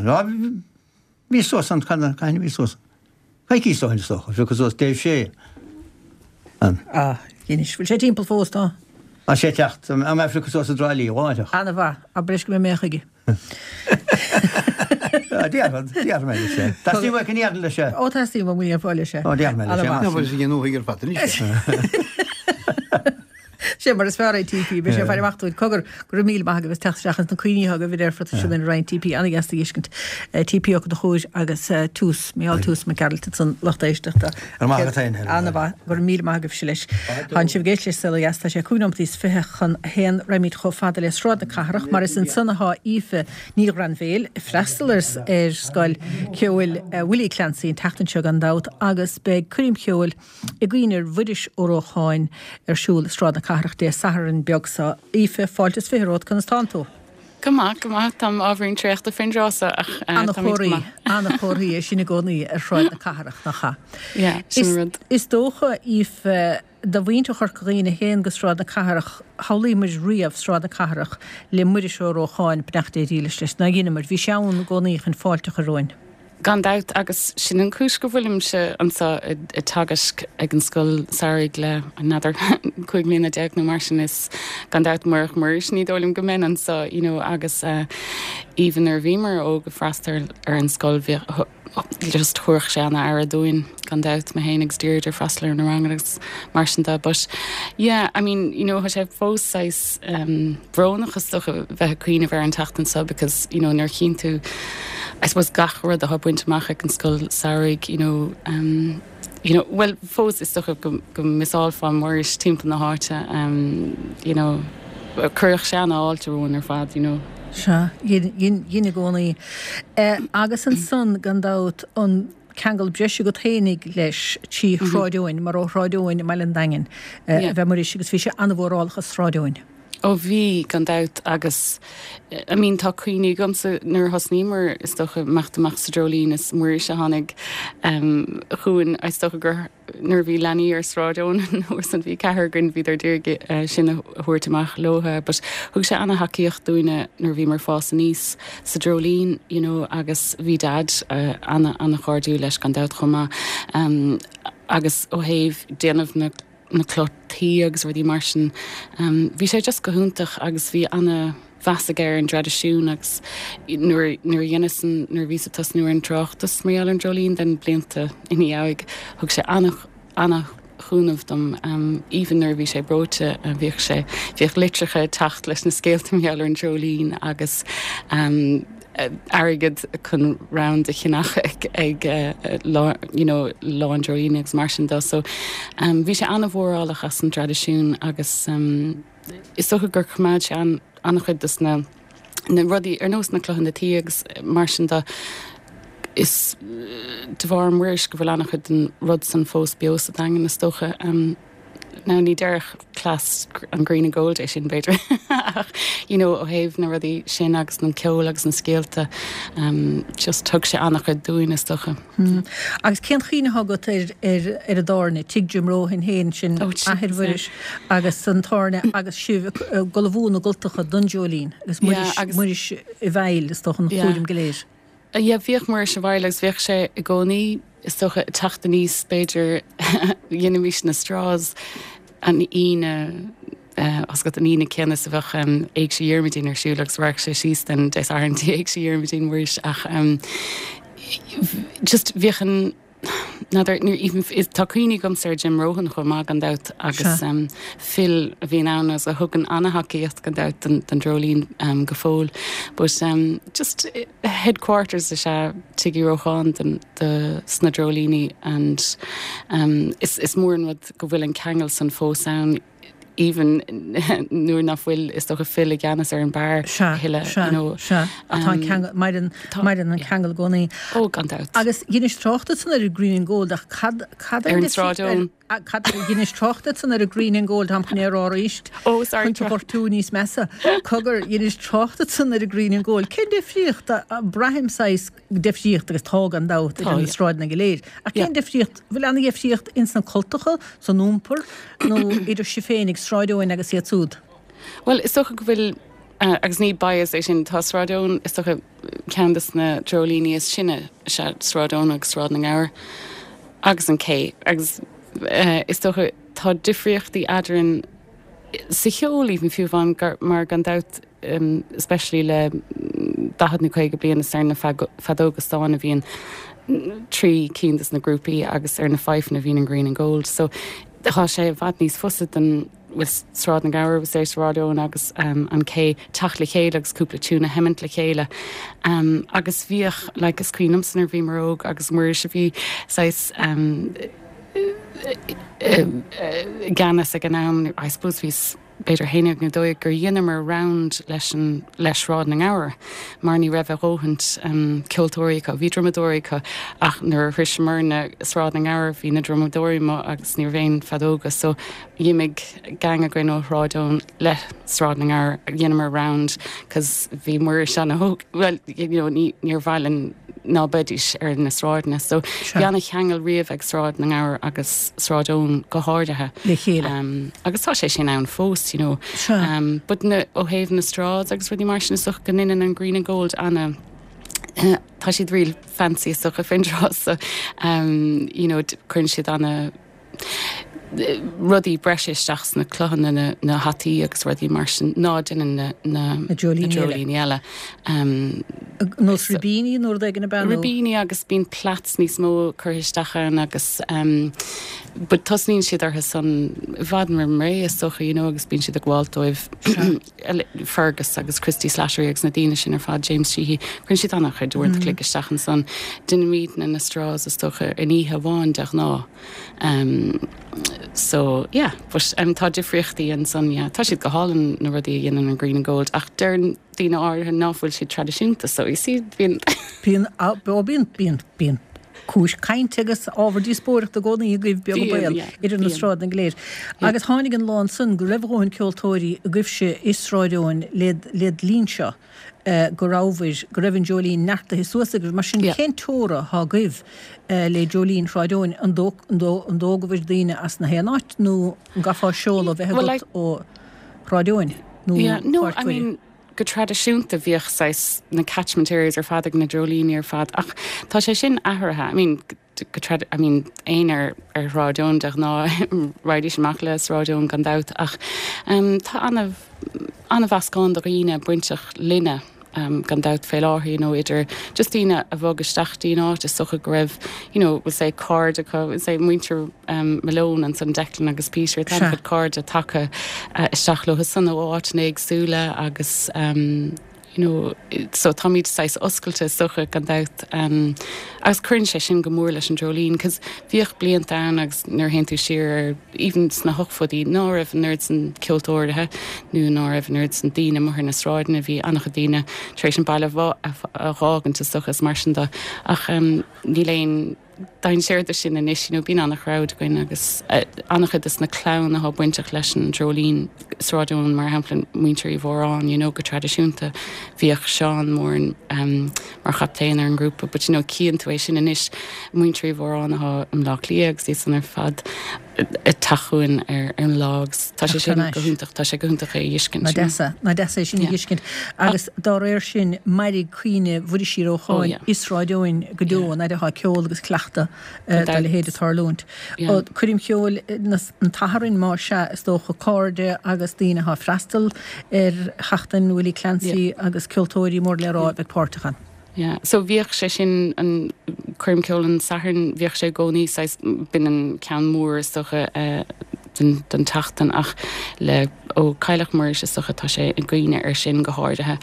Bhíos suas ann, cathain a bhíos suas? Coicís ó shin is dócha, phiocas suas Dave Shea ann. Ah, anois, bhfuil sé timpeall fós, tá? Tá sé ag teacht, tá mé a phiocadh suas i dTrá Lí láithreach. Ana-mhaith, abair leis go mbeidh mé chuige. Déarfad, déarfaidh mé leis é. Teastaíonn uait go ndéarfainn leis é? Ó, teastaíonn uaim go ndéarfá leis é. Ó, déarfaidh mé leis é. Ana-mhaith. Ná fuil sé ag an ar fad anois. Sé mar is fearr é TP, beidh sé ag faire amach dúinn. Cogar, go raibh míle maith agaibh as teacht isteach agus na cuimhní atá agaibh ar fad sin ar roinnt TP, an-dheas a fheiscint. TP Ó Conchúir agus Toose, Micheál Toose Mac Gearailt ansan lucht éisteachta. Go raibh maith agat féin, Helen. An-mhaith, go raibh míle maith agaibhse leis. Tánn sibh ag éisteacht le Saol Ó Dheas, tá sé cúig nóimeataí is 21 raghaimid chomh fada le Sráid na Cathrach mar is ansan athá Aoife Ní Ghrainbhéil ag freastal ar Scoil Ceoil Willie Clancy an tseachtain seo gan dabht agus beidh coirm cheoil i gcuimhne ar Mhuiris Ó Rócháin ar siúl i Sráid na Cathrach Dé Sathairn beag seo. Aoife, fáilte is 20 romhat, conas tánn tú? Go maith, go maith. Táim ábhairín traochta faoin dtráth seo ach táimid go maith. Ana-chomharthaí é sin i gcónaí ar Shráid na Cathrach, nach ea? Yeah, sin an rud. Is dócha, Aoife, do mhuintir Chorca Dhuibhne a théann go Sráid na Cathrach, shamhlaigh muid riamh Sráid na Cathrach le Muiris Ó Rócháin, beannacht Dé dhílis leis, nár dheineamair? Bhí sé ann i gcónaí chun fáilte a chur romhainn. Gan dabht, agus sin an chúis go bhfuilimse anseo ag teagasc ag an scoil samhraidh le, n'fheadar, 15 mbliana nó mar sin. Is gan dabht murach Muiris ní dóigh liom go mbeinn anseo, you know, agus even nuair a bhíomar óg ag freastal ar an scoil bhíodh, just thabharfadh sé ana-aire dúinn, gan dabht, mé féin agus Deirdre ag freastal ar na ranganna agus mar sin de. But yeah, I mean, you know, tá sé fós saghas brónach is dócha bheith ag cuimhneamh ar an tseachtain seo because, you know, nuair a chíonn tú, I suppose gach rud atá bainte amach ag an scoil samhraidh, you know, um, you know, well, fós is dócha go, go miseálfá Muiris timpeall na háite, um, you know, chuirfeadh sé ana-fháilte romhainn ar fad, you know. Sea, dhein, dhein, dhein i gcónaí. Eh, agus ansan, gan dabht, an ceangal breise agat fhéinig leis trí Shráid Eoin, mar ó Shráid Eoin i mBaile an Daingin eh, ab ea Muiris agus bhí sé an-mhórálach as Sráid Eoin. Ó bhí, gan dabht, agus I mean tá cuimhní agamsa nuair a thosnaíomar is dócha imeacht amach sa Dreoilín is Muiris a tháinig chugainn is dócha gur nuair a bhí leanaí ar Sráid Eoin an uair san bhí ceathrar againn bhíodar d'iarraidh sinn a thabhairt amach leotha but thug sé ana-thacaíocht dúinne nuair a bhíomar ag fás aníos sa Dreoilín you know agus bhí Dad ana ana-chairdiúil leis gan dabht chomh maith agus ó thaobh déanamh na na cloch tuí agus rudaí mar sin. Bhí sé just go hiontach agus bhí ana mheas aige ar an dtraidisiún agus nuair nuair a dheineas an nuair a bhíos ag tosnú ar an tráchtas mar gheall ar an Dreoilín den blianta ina dhiaidh thug sé ana ana chúnamh dom even nuair a bhí sé breoite bhíodh sé bhíodh litreacha ag teacht leis na scéalta mar gheall ar an Dreoilín agus airgead chun round a cheannach ag lá you know lá an Dreoilín agus mar sin de. So bhí sé an-mhórálach as an dtraidisiún agus is dócha gur choimeád sé an-chuid dos na na rudaí ar nós na clochanna tuí agus mar sin de. Is de bharr Muiris go bhfuil an-chuid den rud san fós beo sa Daingean is dócha. Now ní déarfadh class an Green and Gold é sin b'fhéidir ach you know ó thaobh na rudaí sin agus an ceol agus na scéalta um, just thug sé an-chuid dúinn is dócha. Hmm. Agus cén chuimhne atá agat ar, ar, ar an dtábhairne, Tigh Jim Rohan féin sin oh, athair Mhuiris agus an tábhairne agus sibh ag ullmhú na gcultacha don Dreoilín agus Muiris, yeah, agus, Muiris i bhfeighil is dócha an yeah. chúram go léir. Yeah, bhíodh Muiris i bhfeighil agus bhíodh sé i gcónaí, is dócha, ag teacht aníos, b'fhéidir, dheinimís na straws an Aoine, tá's agat, an Aoine céanna is a bheadh Éigse Dhiarmuidín ar siúl agus rachadh sé síos den Dé Sathairn dtí Éigse Dhiarmuidín, Muiris, ach just bhíodh an, N'fheadar, nuair, even, tá cuimhní agamsa ar Jim Rohan chomh maith gan dabht agus Phil a bhíonn ann agus a thugann an-thacaíocht gan dabht don, don Dreoilín go fóill. But just headquarters is ea Tigh Uí Rócháin don, do, sna Dreoilíní and is, is mór an rud go bhfuil an ceangal san fós ann. even nuair nach bhfuil is dócha Phil i gceannas ar an beár a thuilleadh, you know. Sea, sea. Tá an ceangal, maireann, maireann an ceangal i gcónaí. Ó, gan dabht. Agus dheinis trácht ansan ar an Green and Gold ach cad, cad Ar an Sráid Eoin. Cad, dheinis trácht ansan ar an Green and Gold, táim chun é a rá arís. Oh, sorry. Chun tú gortú níos measa. Cogar, dheinis trácht ansan ar an Green and Gold. Cén difríocht, braithim saghas difríocht agus tá gan dabht idir na sráideanna go léir. Ach cén difríocht, bhfuil aon dhifríocht ins na cultacha, san iompar, nó idir sibh féin ag Sráid Eoin agus iad súd? Bhuel, is dócha go bhfuil, agus ní bias é sin, tá Sráid Eoin, is dócha, ceann de na dreoilíní is sine is ea Sráid Eoin agus Sráid na nGabhar agus an Cé agus is dócha tá difríochtaí eadrainn sa cheol even fiú amháin mar gan dabht especially le 40 nó 50 bliain is ar na feadóga stáin a bhíonn trí cinn de na grúpaí agus ar na fidefeanna a bhíonn an Green and Gold so tá sé i bhfad níos fusa don with Sráid na nGabhar agus Sráid Eoin agus an Cé teacht le chéile agus cúpla tiún a sheimint le chéile. Agus bhíodh, like, is cuimhin liomsa nuair a bhíomar óg agus Muiris a bhí saghas i gceannas ag an am, I suppose bhí b'fhéidir 11 nó 12, gur dheineamar round leis an, le Sráid na nGabhar mar ní raibh a dhóthaint ceoltóirí acu. Bhí drumadóirí acu ach nuair a shroiseamarna Sráid na nGabhar bhí na drumadóirí amuigh agus ní raibh aon feadóga so D'imigh gang againn ó Shráid Eoin le Sráid na nGabhar, dheineamar round cos bhí Muiris ana-óg, bhuel you know ní níor mhaith linn ná beidís ar na sráideanna. So bhí ana-cheangal riamh ag Sráid na nGabhar agus Sráid Eoin go háirithe. Le chéile. Um, agus tá sé sin ann fós, you know. Sure. Um, but na, ó thaobh na straws agus rudaí mar sin is dócha go ndeineann an Green and Gold ana tá siad real fancy is dócha faoin tráth so um, you know, cuireann siad ana rudaí breise isteach sna cloghanna, na hataí agus rudaí mar sin ná déanann na dreoilíní eile. Nós ribíní nó rud éigin ab ea nó? Ribíní agus bíonn plaits níos mó curtha isteach ann agus but tosnaíonn siad orthu san i bhfad roimh ré is dócha you know agus bíonn siad ag gabháilt dóibh. Fergus agus Christy Slattery agus na daoine sin ar fad, James Sheehy, cuireann siad an-chuid uaireanta an chloig isteach ansan. Déanaimidne na straws is dócha in oíche amháin de ghnáth. Um, so, yeah, but um, tá difríochtaí ansan, yeah. Tá siad go hálainn na rudaí a dhéanann an Green and Gold ach deir daoine áirithe ná fuil siad traidisiúnta, so you see, bíonn. Bíonn, bíonn, bíonn, bíonn cúis cainte agus ábhar díospóireachta i gcónaí agaibh, beag an baol, idir na sráideanna go léir. Agus tháinig an lá ansan go raibh a dhóthain ceoltóirí agaibhse i Sráid Eoin led linn seo go rabhabhair, go raibh an Dreoilín neartaithe suas agaibh. Mar sin, cén teora thá agaibh le Dreoilín Shráid Eoin? An dtógabhair daoine as na haon áit nó an gcaithfeá seoladh a bheith agat ó Shráid Eoin nó Páirc Mhuire? Go traidisiúnta bhíodh saghas na catchment areas ar fad ag na dreoilíní ar fad ach tá sé sin athraithe. I mean go trad I mean éinne ar ar Shráid Eoin de ghnáth raghaidís amach le Sráid Eoin gan dabht ach um tá ana ana-mheascán de dhaoine bainteach linne um gan dabht fé láthair you know idir just daoine a bhog isteach dtí'n áit is dócha go raibh you know we'll say cairde acu we'll say muintir Malone ansan Declan agus Peter, tá an-chuid cairde tagtha isteach leo san ó áiteanna éagsúla agus you know so táimid saghas oscailte is dócha gan dabht agus cuireann sé sin go mór leis an Dreoilín cos bhíodh blianta ann agus nuair a théann tú siar ar even sna hochtóidí ná raibh an oiread san ceoltóirithe nó ná raibh an oiread san daoine amuigh ar na sráideanna bhí an-chuid daoine tar éis an baile a dh'fhágaint is dócha is mar sin de ach níl aon dainséar de sin anois, you know, bíonn an-chrowd againn agus an-chuid de na clann atá bainteach leis an Dreoilín, Sráid Eoin mar shampla, muintir Uí Mhóráin, you know, go traidisiúnta bhíodh Seán Moran mar chaptaen ar an ngrúpa but you know, cíonn tú é sin anois, muintir Uí Mhóráin atá i mBleá Cliath agus iad san ar fad ag teacht chugainn ar an lá agus tá sé sin go hiontach, tá sé go hiontach é a fheiscint. Nach deas é, nach deas é sin a fheiscint. Agus dá réir sin, mairfidh cuimhne Mhuiris Uí Rócháin i Sráid Eoin go deo, an fhaid atá ceol agus cleachtadh dá leithéid ag tarlúint. Coirm cheoil an tSathairn, más ea, is dócha, cairde agus daoine atá ag freastal ar Sheachtain Willie Clancy agus ceoltóirí mór le rá a bheidh páirteach ann. Yeah, so bhíodh sé sin, an coirm ceoil an Sathairn, bhíodh sé i gcónaí saghas, b'in an ceann mór is dócha den, den tseachtain ach le, ó cailleadh Muiris is dócha tá sé i gcuimhne air sin go háirithe.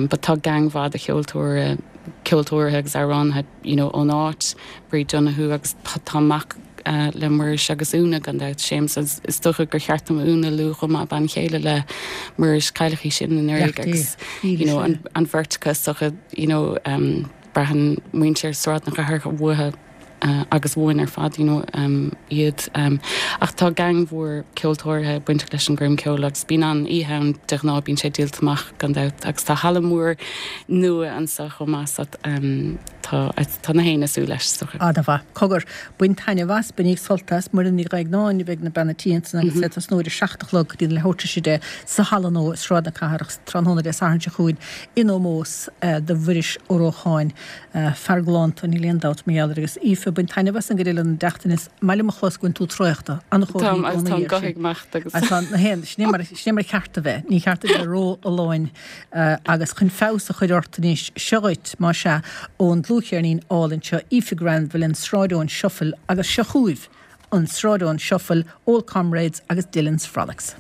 But tá gang mhaith de cheoltóir, ceoltóirithe agus amhránaithe you know ón áit, Bríd Donoghue agus tá mac le Muiris agus Úna gan dabht, Séamus agus is dócha gur cheart dom Úna a lua chomh maith, bean chéile le Muiris, cailleadh í sin anuraidh agus you know an bheirt acu is dócha you know braitheann muintir Sráid na Cathrach uathu. agus uainn ar fad you know iad. Ach tá gang mhór ceoltóirithe bainteach leis an gcoirm ceoil agus bíonn an-oíche ann de ghnáth, bíonn sé díolta amach gan dabht agus tá halla mór nua anseo chomh maith so tá tá na héinne ag súil leis is dócha. Ana-mhaith. Cogar, bain taitneamh as, bainíg sult as, Muireann Ní Dhroighneáin a bheidh ina bean a' tí ansan agus é ag tosnú ar a 7 a chlog go dtí an leathuair tar éis 10 sa halla nua i Sráid na Cathrach tráthnóna Dé Sathairn seo chugainn in ómós do Mhuiris Ó Rócháin. Fear galánta, níl aon dabht mar gheall air. Agus Aoife, bain taitneamh as an gcuid eile den tseachtain. Is maith liom a chlos go bhfuil tú traochta. An-chomhartha i gcónaí é sin. Agus tá na haon, sin é mar, sin é mar cheart a bheith. Ní cheart a bheith ró-fholláin. Agus chun feabhas a chur ort anois, seo dhuit, más ea, ón dlúthcheirnín álainn seo, Aoife Granville, an Sráid Eoin Shuffle, agus seo chugaibh an Sráid Eoin Shuffle, Old Comrades agus Dillon's Frolics.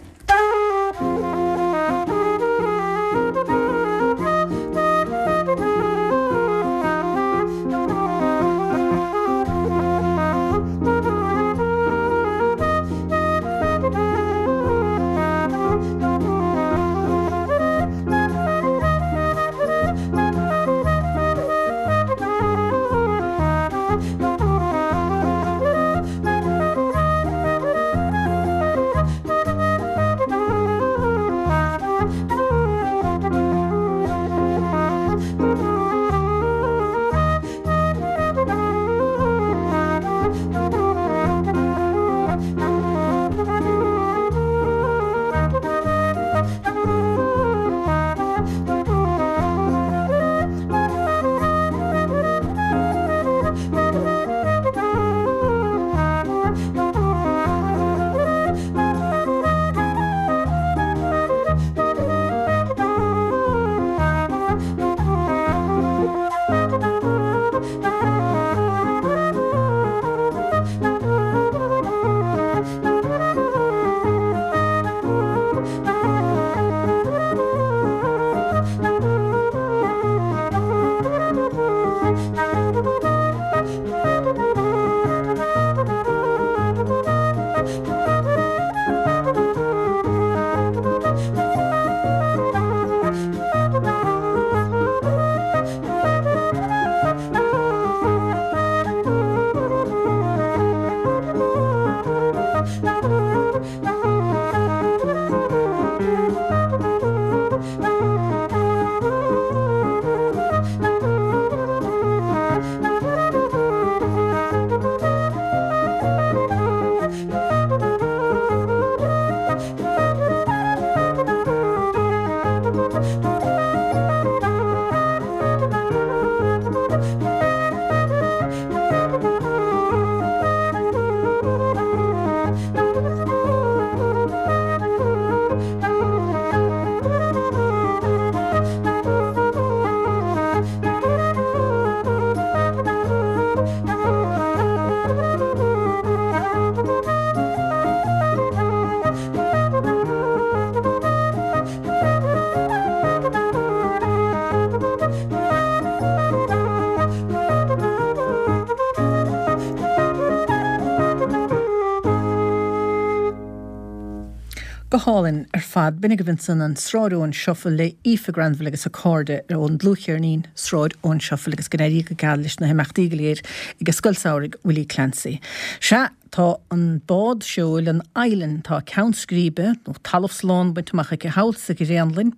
Go hálainn ar fad. B'in agaibh ansan an Sráid Eoin Shuffle le Aoife Granville agus a cairde ón dlúthcheirnín Sráid Eoin Shuffle agus go n-éirí go geal leis na himeachtaí go léir ag Scoil Samhraidh Willie Clancy. Sea, tá an bád seoil, an Island, tá ceann scríbe, nó talamh slán bainte amach aici thall sa Ghréanlainn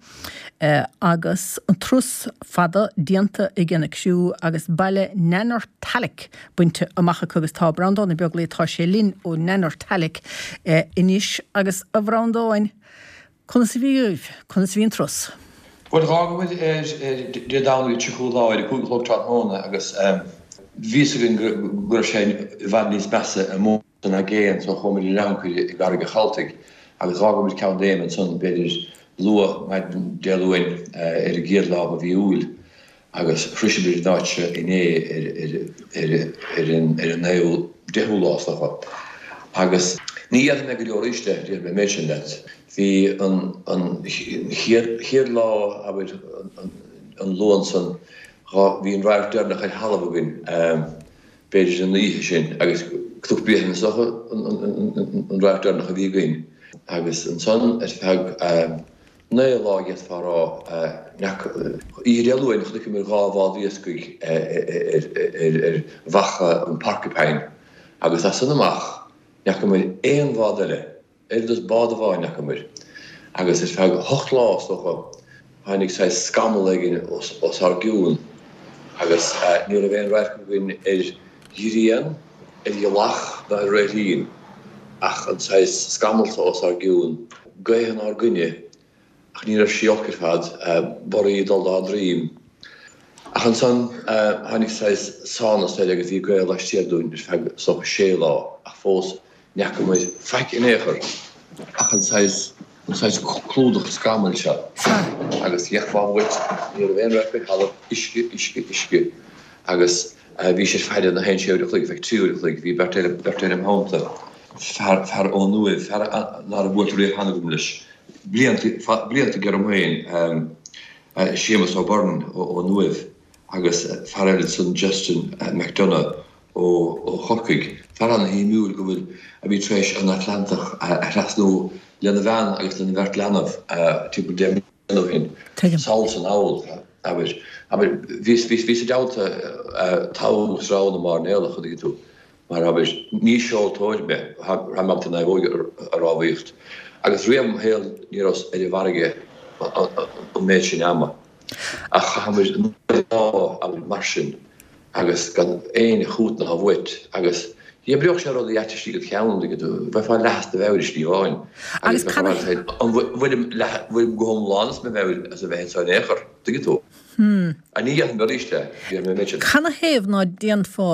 agus an turas fada déanta ag an criú agus baile Nanortalik bainte amach acu agus tá Breandán Ó Beaglaoich, tá sé linn ó Nanortalik anois agus a Bhreandáin, conas a bhí agaibh, conas a bhí an turas? Bhuel, d'fhág muid ar Dé Domhnaigh an 30ú lá ar a 5 a chlog tráthnóna agus bhí fhios againn go raibh sé i bhfad níos measa amuigh san aigéan so chuaigh muid ar ancaire i gCarraig an Chaltaigh agus d'fhág muid Ceann Léime ansan b'fhéidir luath maidin Dé Luain ar an gcéad lá de mhí Iúil. Agus shroiseamar an áit seo inné ar an naoú, deichiú lá is dócha. Agus ní dhéanfaidh mé go deo arís é, déarfaidh mé an méid sin leat. Bhí an chéad lá, abair, an Luan san, bhí an radharc deireanach ar thalamh againn, b'fhéidir an oíche sin, agus Cnoc Bréifne is dócha an radharc deireanach a bhí againn. Agus ansan ar feadh. 9 lá d'fhéadfá a rá. Oíche Dé Luain chonaiceamar 2 bhád iascaigh ar bheacha an Porcupine agus as san amach ní fhacamar aon bhád eile. Oiread is bád amháin ní fhacamar agus ar feadh hocht lá, is dócha, tháinig saghas scamall éigin os ár gcionn agus ní raibh aon radharc againn ar ghrian, ar ghealach ná ar réiltín ach an saghas scamall so os ár gcionn, gaoth inár gcoinne ach ní raibh sí olc ar fad, borraí ag dul dá droim. Ach ansan tháinig saghas sánas air agus bhí gaoth laistiar dúinn ar feadh, is dócha, sé lá ach fós Ní fhacamar faic in aon chor ach an saghas, an saghas clúdach scamaill seo. Agus gheofá uait, ní raibh aon radharc ar thalamh, uisce, uisce, uisce. Agus bhís ar faire na haon sé uair a chloig, feadh 3 uair a chloig, bhí beirt eile, beirt eile im theannta, fear, fear ón Uaimh, fear ná raibh buailte riamh cheana agam leis, blianta, blianta aige orm féin, Séamus O'Byrne ón Uaimh agus fear eile ansan Justin McDonagh ó Chorcaigh, fear ana-shuimiúil go bhfuil, a bhí tar éis an Atlantach a thrasnú lena bhean agus lena bheirt leanbh timpeall 10 mbliana ó shin, sall is anall, abair. Abair, bhíos, bhíos, bhíos i dteannta togha agus rogha na mairnéalach, an dtuigeann tú, mar, abair, ní seoltóir mé, rachainn ábalta naomhóig a rámhaíocht, agus riamh im shaol ní rabhas ar an bhfarraige an méid sin ama. Ach chaitheamar 9 lá, abair, mar sin. agus gan aon chútnamh uait agus dh'oibreodh sé rudaí ait istigh id cheann, dtuigeann tú, bheifeá leath as do mheabhair i slí amháin agus bheifeá ag rá an bhfuilim leath, an bhfuilim go hiomlán as mo mheabhair as a bheith anseo in aon chor, dtuigeann tú. Ach ní dhéanfainn arís é, déarfaidh mé an méid sin. Canathaobh ná déanfá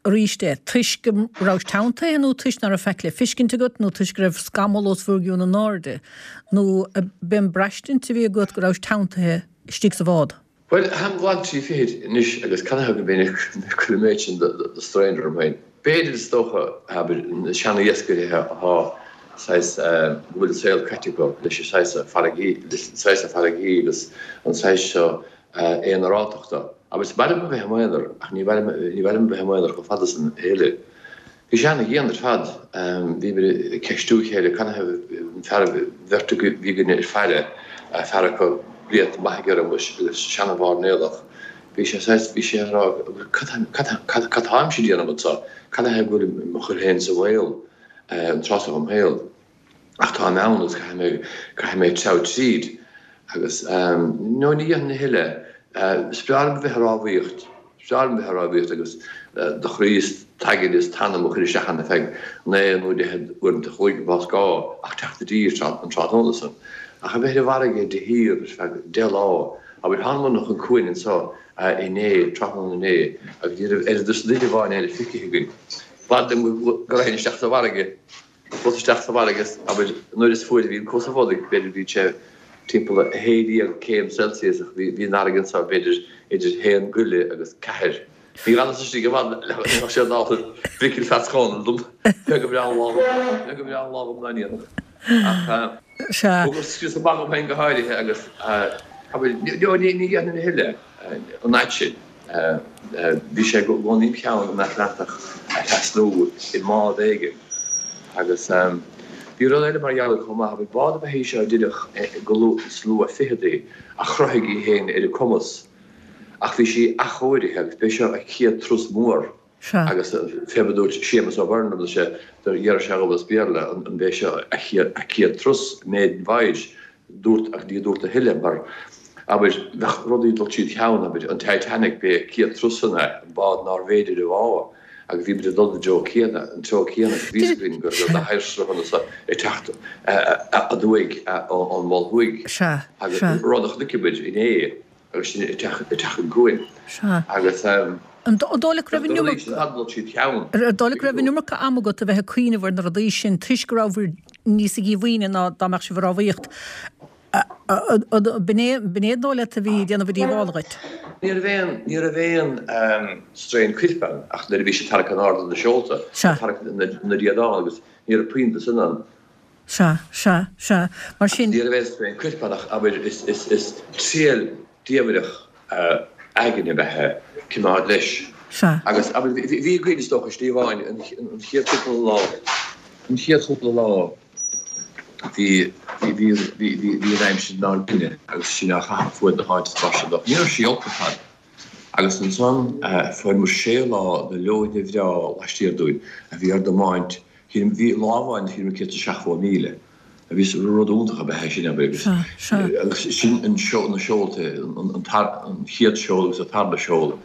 arís é? Toisc go rabhais teanntaithe nó toisc ná raibh faic le fiscint agat nó toisc go raibh scamall os bhur gcionn in airde nó b'é an braistint a bhí agat go rabhais teanntaithe istigh sa bhád? Bhuel, táim glan trí fichid anois agus canathaobh go mbeinn ag cur an méid sin de strain orm féin? B'fhéidir, is dócha, abair, na seana-iascairí atá saghas, go bhfuil an saol caite acu leis an saghas farraigí, leis an saghas farraigí agus an saghas seo aonarátachta. Abair, is maith liom a bheith i m'aonar ach ní maith liom, ní maith liom a bheith i m'aonar chomh fada san a thuilleadh. Bhí sé ana-dhian ar fad. Bhíomar ag ceistiú a chéile canathaobh an fear, bheirt a bhí againne ar faire, fear acu blianta maithe aige roimis agus seana-mhairnéalach. Bhí sé saghas, bhí sé ag rá cad, cad, cad, cad táimse ag déanamh anseo? Canathaobh go bhfuilim mo chur féin sa bhaol an tráth seo dhom shaol? Ach táim ann agus caithfidh mé, caithfidh mé treabhadh tríd. Agus, no, ní dhéanfainn a thuilleadh. Is breá liom a bheith ag rámhaíocht, is breá liom a bheith ag rámhaíocht agus do chroí is t'aigne is t'anam a chur isteach ann ar feadh naoi nó deich uaireanta a chloig más gá ach teacht i dtír an tráthnóna san. Ach a bheith ar an bhfarraige de shíor ar feadh deich lá, abair, thángamar chun cuain anseo inné, tráthnóna inné, agus ní raibh oiread is duine amháin eile feicthe againn. B'fhada liom go raghainn isteach sa bhfarraige. Chuas isteach sa bhfarraige agus, abair, an uair is fuaire a bhí an cúrsa bhodaigh, b'fhéidir bhí sé timpeall 16 céim Celsius ach bhí an fharraige anseo b'fhéidir idir haon go leith agus ceathair. Ní fhanas istigh i bhfad le go ndéanfadh sé dall Mhicil Pheats Chónail dom, cé go mbreá an lá dhom, cé go mbreá an lá dhom dá ndéanfadh. Ach thugas scrios amach dhom féin go háirithe agus, abair, ní dhéanfainn a thuilleadh an fhad sin. Bhí sé i gcónaí im cheann an Atlantach a thrasnú i mbád éigin. Agus bhí rud eile mar gheall air chomh maith, abair, bád ab ea í seo a deineadh go luath sna luath-fhicheadaí a chruthaigh í féin ar a cumas. Ach bhí sí athchóirithe agus b'é seo a céad turas mór. Agus fé mar a dúirt Séamus O'Byrne liom, sé, d'iarr sé dhom as Béarla an b'é seo a chéad turas, maiden voyage, dúirt, ach ní dúirt a thuilleadh mar, abair, bheadh rudaí ag dul tríd cheann, abair, an Titanic, b'é a céad turas san é, an bád nárbh fhéidir a bhá, agus bhí muid ag dul i dtreo céanna, an treo céanna, agus bhí fhios againn go raibh na hoighearshruthanna so ag teacht aduaidh ón Mhol Thuaidh, agus rud a chonaic muid inné. agus sinn ag teacht chun cuain agus An dóigh leat go raibh an iomarca an iomarca ama agat a bheith ag cuimhneamh ar na rudaí sin toisc go rabhabhair níosa díomhaoine ná dá mbeadh sibh ag rámhaíocht? B'in é an dóigh leat a bhí ag déanamh díobhála dhuit? Ní raibh aon, ní raibh aon strain coirp ann ach nuair a bhí sé ag tarrac in airde na seolta, ag tarrac na riadán agus ní raibh puinn de sin ann. Sea, sea, sea. Mar sin. Ní raibh aon strain coirp ann ach, abair, is triail diamhrach aigne ab ea é coimeád leis. Sea. Agus, abair, bhí againn, is dócha, slí amháin, an chéad chúpla lá, an chéad chúpla lá. Bhí, bhí, bhí, bhí, bhí, bhí an aimsir inár gcoinne agus sinn á chaitheamh fuaid na háite is mar sin de. Ní raibh sí olc ar fad. Agus ansan fuair muid sé lá de leoithne bhreá laistiar dúinn a bhí ár dtiomáint, bhí lá amháin a shíl muid 170 míle. A bhí rud iontach ab ea é sin, abair, agus agus sin an seol, na seolta, an an chéad seol agus an tarna seol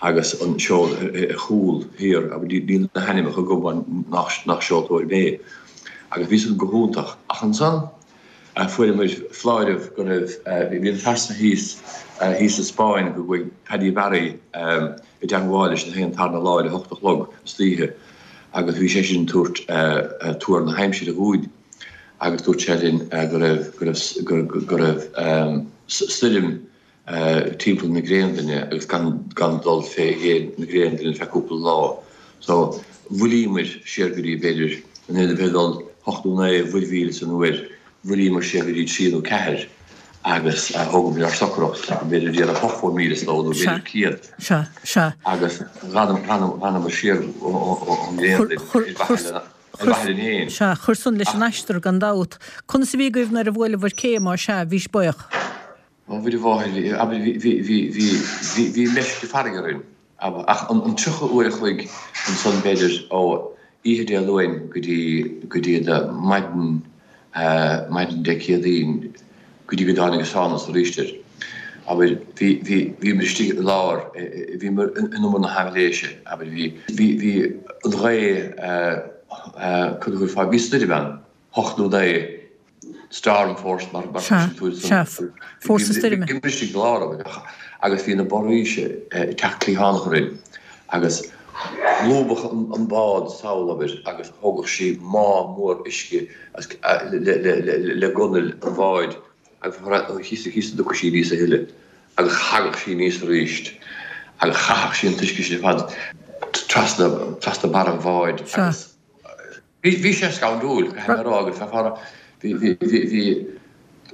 agus an seol ar chúl thiar, abair, níl na hainmneacha agam mar nach nach seoltóir mé. Agus bhí san go hiontach. Ach ansan fuaireamar foláireamh go raibh, bhí an fear san thíos, thíos sa Spáinn go gcuaigh Paddy Barry i dteangmháil leis an tarna lá ar a hocht a chlog istoíche. agus bhí seisean ag tabhairt tuar na haimsire dhúinn agus dúirt sé linn go raibh, go raibh, go raibh stoirm timpeall na Graonlainne agus gan, gan dul fé dhéin na Graonlainne ar feadh cúpla lá. So, mhoillíomar siar go dtí, b'fhéidir, in ionad a bheith ag dul hocht nó naoi mhuirmhíle san uair, Mhoillíomar siar go dtí trí nó ceathair agus thógamar ár socracht, b'fhéidir déanamh 80 míle sa ló nó b'fhéidir 100. Sea, sea. Agus dh'fhanamar siar ón nGraonlainn ar mhaithe linn féin. Sea, chuir san leis an aistear gan dabht. Conas a bhí agaibh nuair a bhuaileabhair cé, má sea, bhís buíoch? Ó, Mhuire Mháthair, abair, bhí, bhí, bhí, bhí, bhí meisce farraige orainn. Ach an 30 uair a chloig ansan b'fhéidir ó oíche Dé Luain go dtí go dtí maidin maidin Dé Céadaoin go dtí go dtáinig an sánas arís air. Abair, bhí bhí bhíomar istigh i lár bhíomar in umar na haibhléise abair bhí bhí bhí an ghaoth cad a thabharfá bhí stoirm ann hocht nó naoi Storm force mar Sea, sea, fórsa stoirme. Bhíomar istigh i lár agus bhí na borraoise ag teacht cliathánach orainn agus lúbadh an bád sall abair agus thógadh sí má mór uisce le gunnail an bháid agus thíos a dtiocfadh sí aníos a thuilleadh agus thagadh sí aníos arís agus chaitheadh sí an t-uisce sin ar fad trasna trasna barra an bháid agus Bhí sé scanrúil, caithfidh mé a rá, agus bhí, bhí, bhí, bhí, bhí,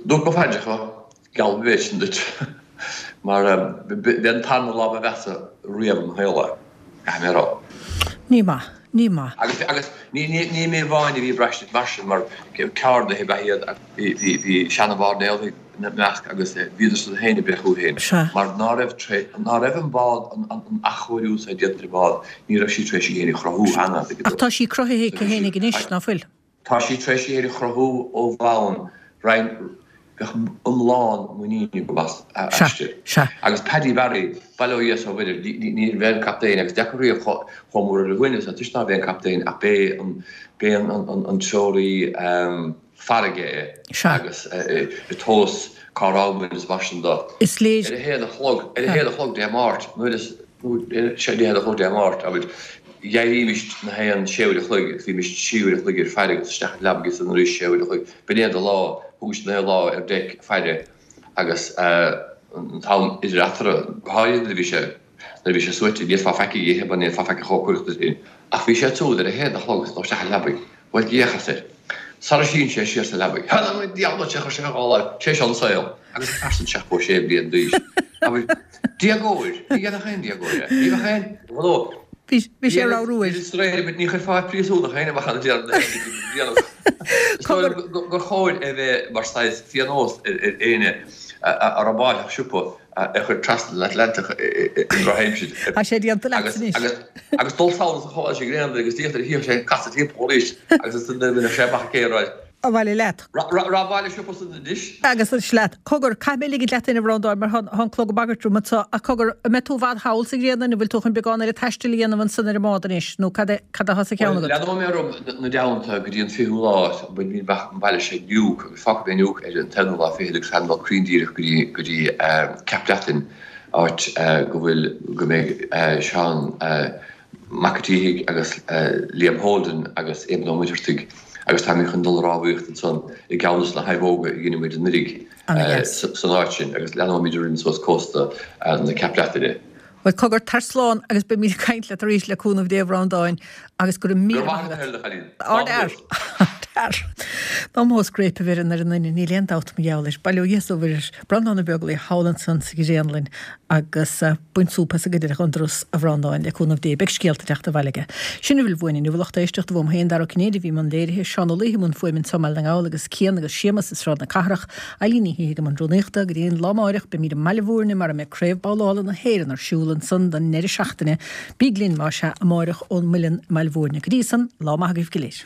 dúirt mo phaidreacha, geall an mhéid sin duit, mar b'é an tarna lá ba mheasa riamh i mo shaol é, caithfidh mé a rá. Ní maith, ní maith. Agus, agus ní, ní, ní mé amháin a bhí ag braistint mar sin, mar ceardaithe ab ea iad agus bhí, bhí, bhí seana-mhairnéalaigh ina measc agus bhíodar-san féin ag breith chucu féin, mar ná raibh, ná raibh an bád, an athchóiriú so déanta ar an bhád, ní raibh sí tar éis í féin a chruthú cheana. Ach tá sí cruthaithe aici fhéinig anois, ná fuil? Tá sí tar éis í féin a chruthú ó bhonn, roinn, bheadh iomlán muiníne agam aisti. Agus Paddy Barry, bail ó Dhia is ó Mhuire, ní b'é an captaen, agus deacair riamh chomh mór ar a dhuine, toisc ná b'é an captaen ach b'é an, b'é an treoraí, farraige é agus ag tomhas cá raibh muid is mar sin de. Is léir. Ar a haon a chlog, ar a haon a chlog Dé Máirt, nuair is, sé a haon a chlog Dé Máirt, abair, d'éirímis na haon sé uair a chloig agus bhímis trí uair a chloig ar faire agus isteach ag leabaidh ansan arís sé uair a chloig. B'in é do lá, thugais na haon lá ar deic faire agus an t-am idir eatarthu, go háirithe nuair a bhí sé, Nuair a bhí sé suaite, ní fhéadfá faic a dh'ithe mar ní fhéadfá faic a chócaireacht duit féin. Ach bhí sé ag siúl ar a haon a chlog agus dul isteach i leabaidh. Bhuel, d'fhéachas air. Sara shín sé siar sa leabaidh. Th'anam 'on diabhal duit, chuir sé a dhá láimh. Sé seo an saol. Agus an fear san 76 bliain d'aois. Abair, déagóir. Ní dhéanfadh aon déagóir é. Ní bheadh aon ghnó. Bhí sé ag ramhrú air. Ní chuirfeá príosúnach féin amach ann a déarfainn. Is dóigh liom gur chóir é bheith mar saghas phionós ar éinne a robáilfeadh siopa a chur trasna an Atlantach i ndrochaimsir. Tá sé déanta leat anois. Agus dul sall sa chás i nGraonlainn agus díocht ar a shíoth sé ag casadh timpeall arís agus is duine a sé amach ag rá. Abhaile leat. Robáil siopa san anois. Agus anois leat. Cogar, caithfidh mé ligint leat féin a Bhreandáin mar tá an clog ag bagairt orm anseo. Ach cogar, an mbeidh tú i bhfad thall sa Ghraonlainn, an bhfuil tú chun beagán eile taistil a dhéanamh ansan ar an mbád anois nó cad é cad atá sa cheann agat? Bhuel, leanfaidh mé orm 'na dteannta go dtí an fichiú lá, bainfidh mé amach an baile seo Nuuk agus fágfaidh mé Nuuk ar an t-aonú lá fichead agus táim ag dul cruinn díreach go dtí go dtí Ceap Breatainn, áit go bhfuil go mbeidh Seán Mac a' tSíthigh agus Liam Holden agus Éamonn Ó Muircheartaigh agus táimid chun dul a rámhaíocht ansan i gceann de na haibheoga a dhein muid anuiridh san áit sin agus leanfaimid orainn suas cósta na Ceap Breataine. Bhuel, cogar, tar slán agus beimid ag caint leat arís le cúnamh Dé a Bhreandáin agus go raibh míle maith agat. Go raibh maith agat a chailín. Ard fhear. Ard fhear. Dá mó scréip a bheireann ar an nduine, níl aon dabht mar gheall air. Bail ó Dhia is ó Mhuire ar Breandán Ó Beaglaoich thall ansan sa Ghréanlainn agus bain súp as an gcuid eile dhon dturas, a Bhreandáin, le cúnamh Dé. Beidh scéalta ag teacht abhaile aige. Sin a bhfuil uainn inniu, a lucht éisteachta, uaim féin, Dara Ó Cinnéide, a bhí i mbun léirithe, Seán Ó Laoithe i mbun fuaime anso i mBaile na nGall agus Cian agus Séamus i Sráid na Cathrach, Eilín Ní Shíthigh i mbun rúnaíochta. Go dtí an lá amáireach, beimid i mBaile Bhúirne mar a mbeidh Craobh Babhlála na hÉireann ar siúl ansan don ndeireadh seachtaine. Bíg linn, más ea, amáireach ón Muileann i mBaile Bhúirne. Go dtí san, lá maith agaibh go léir.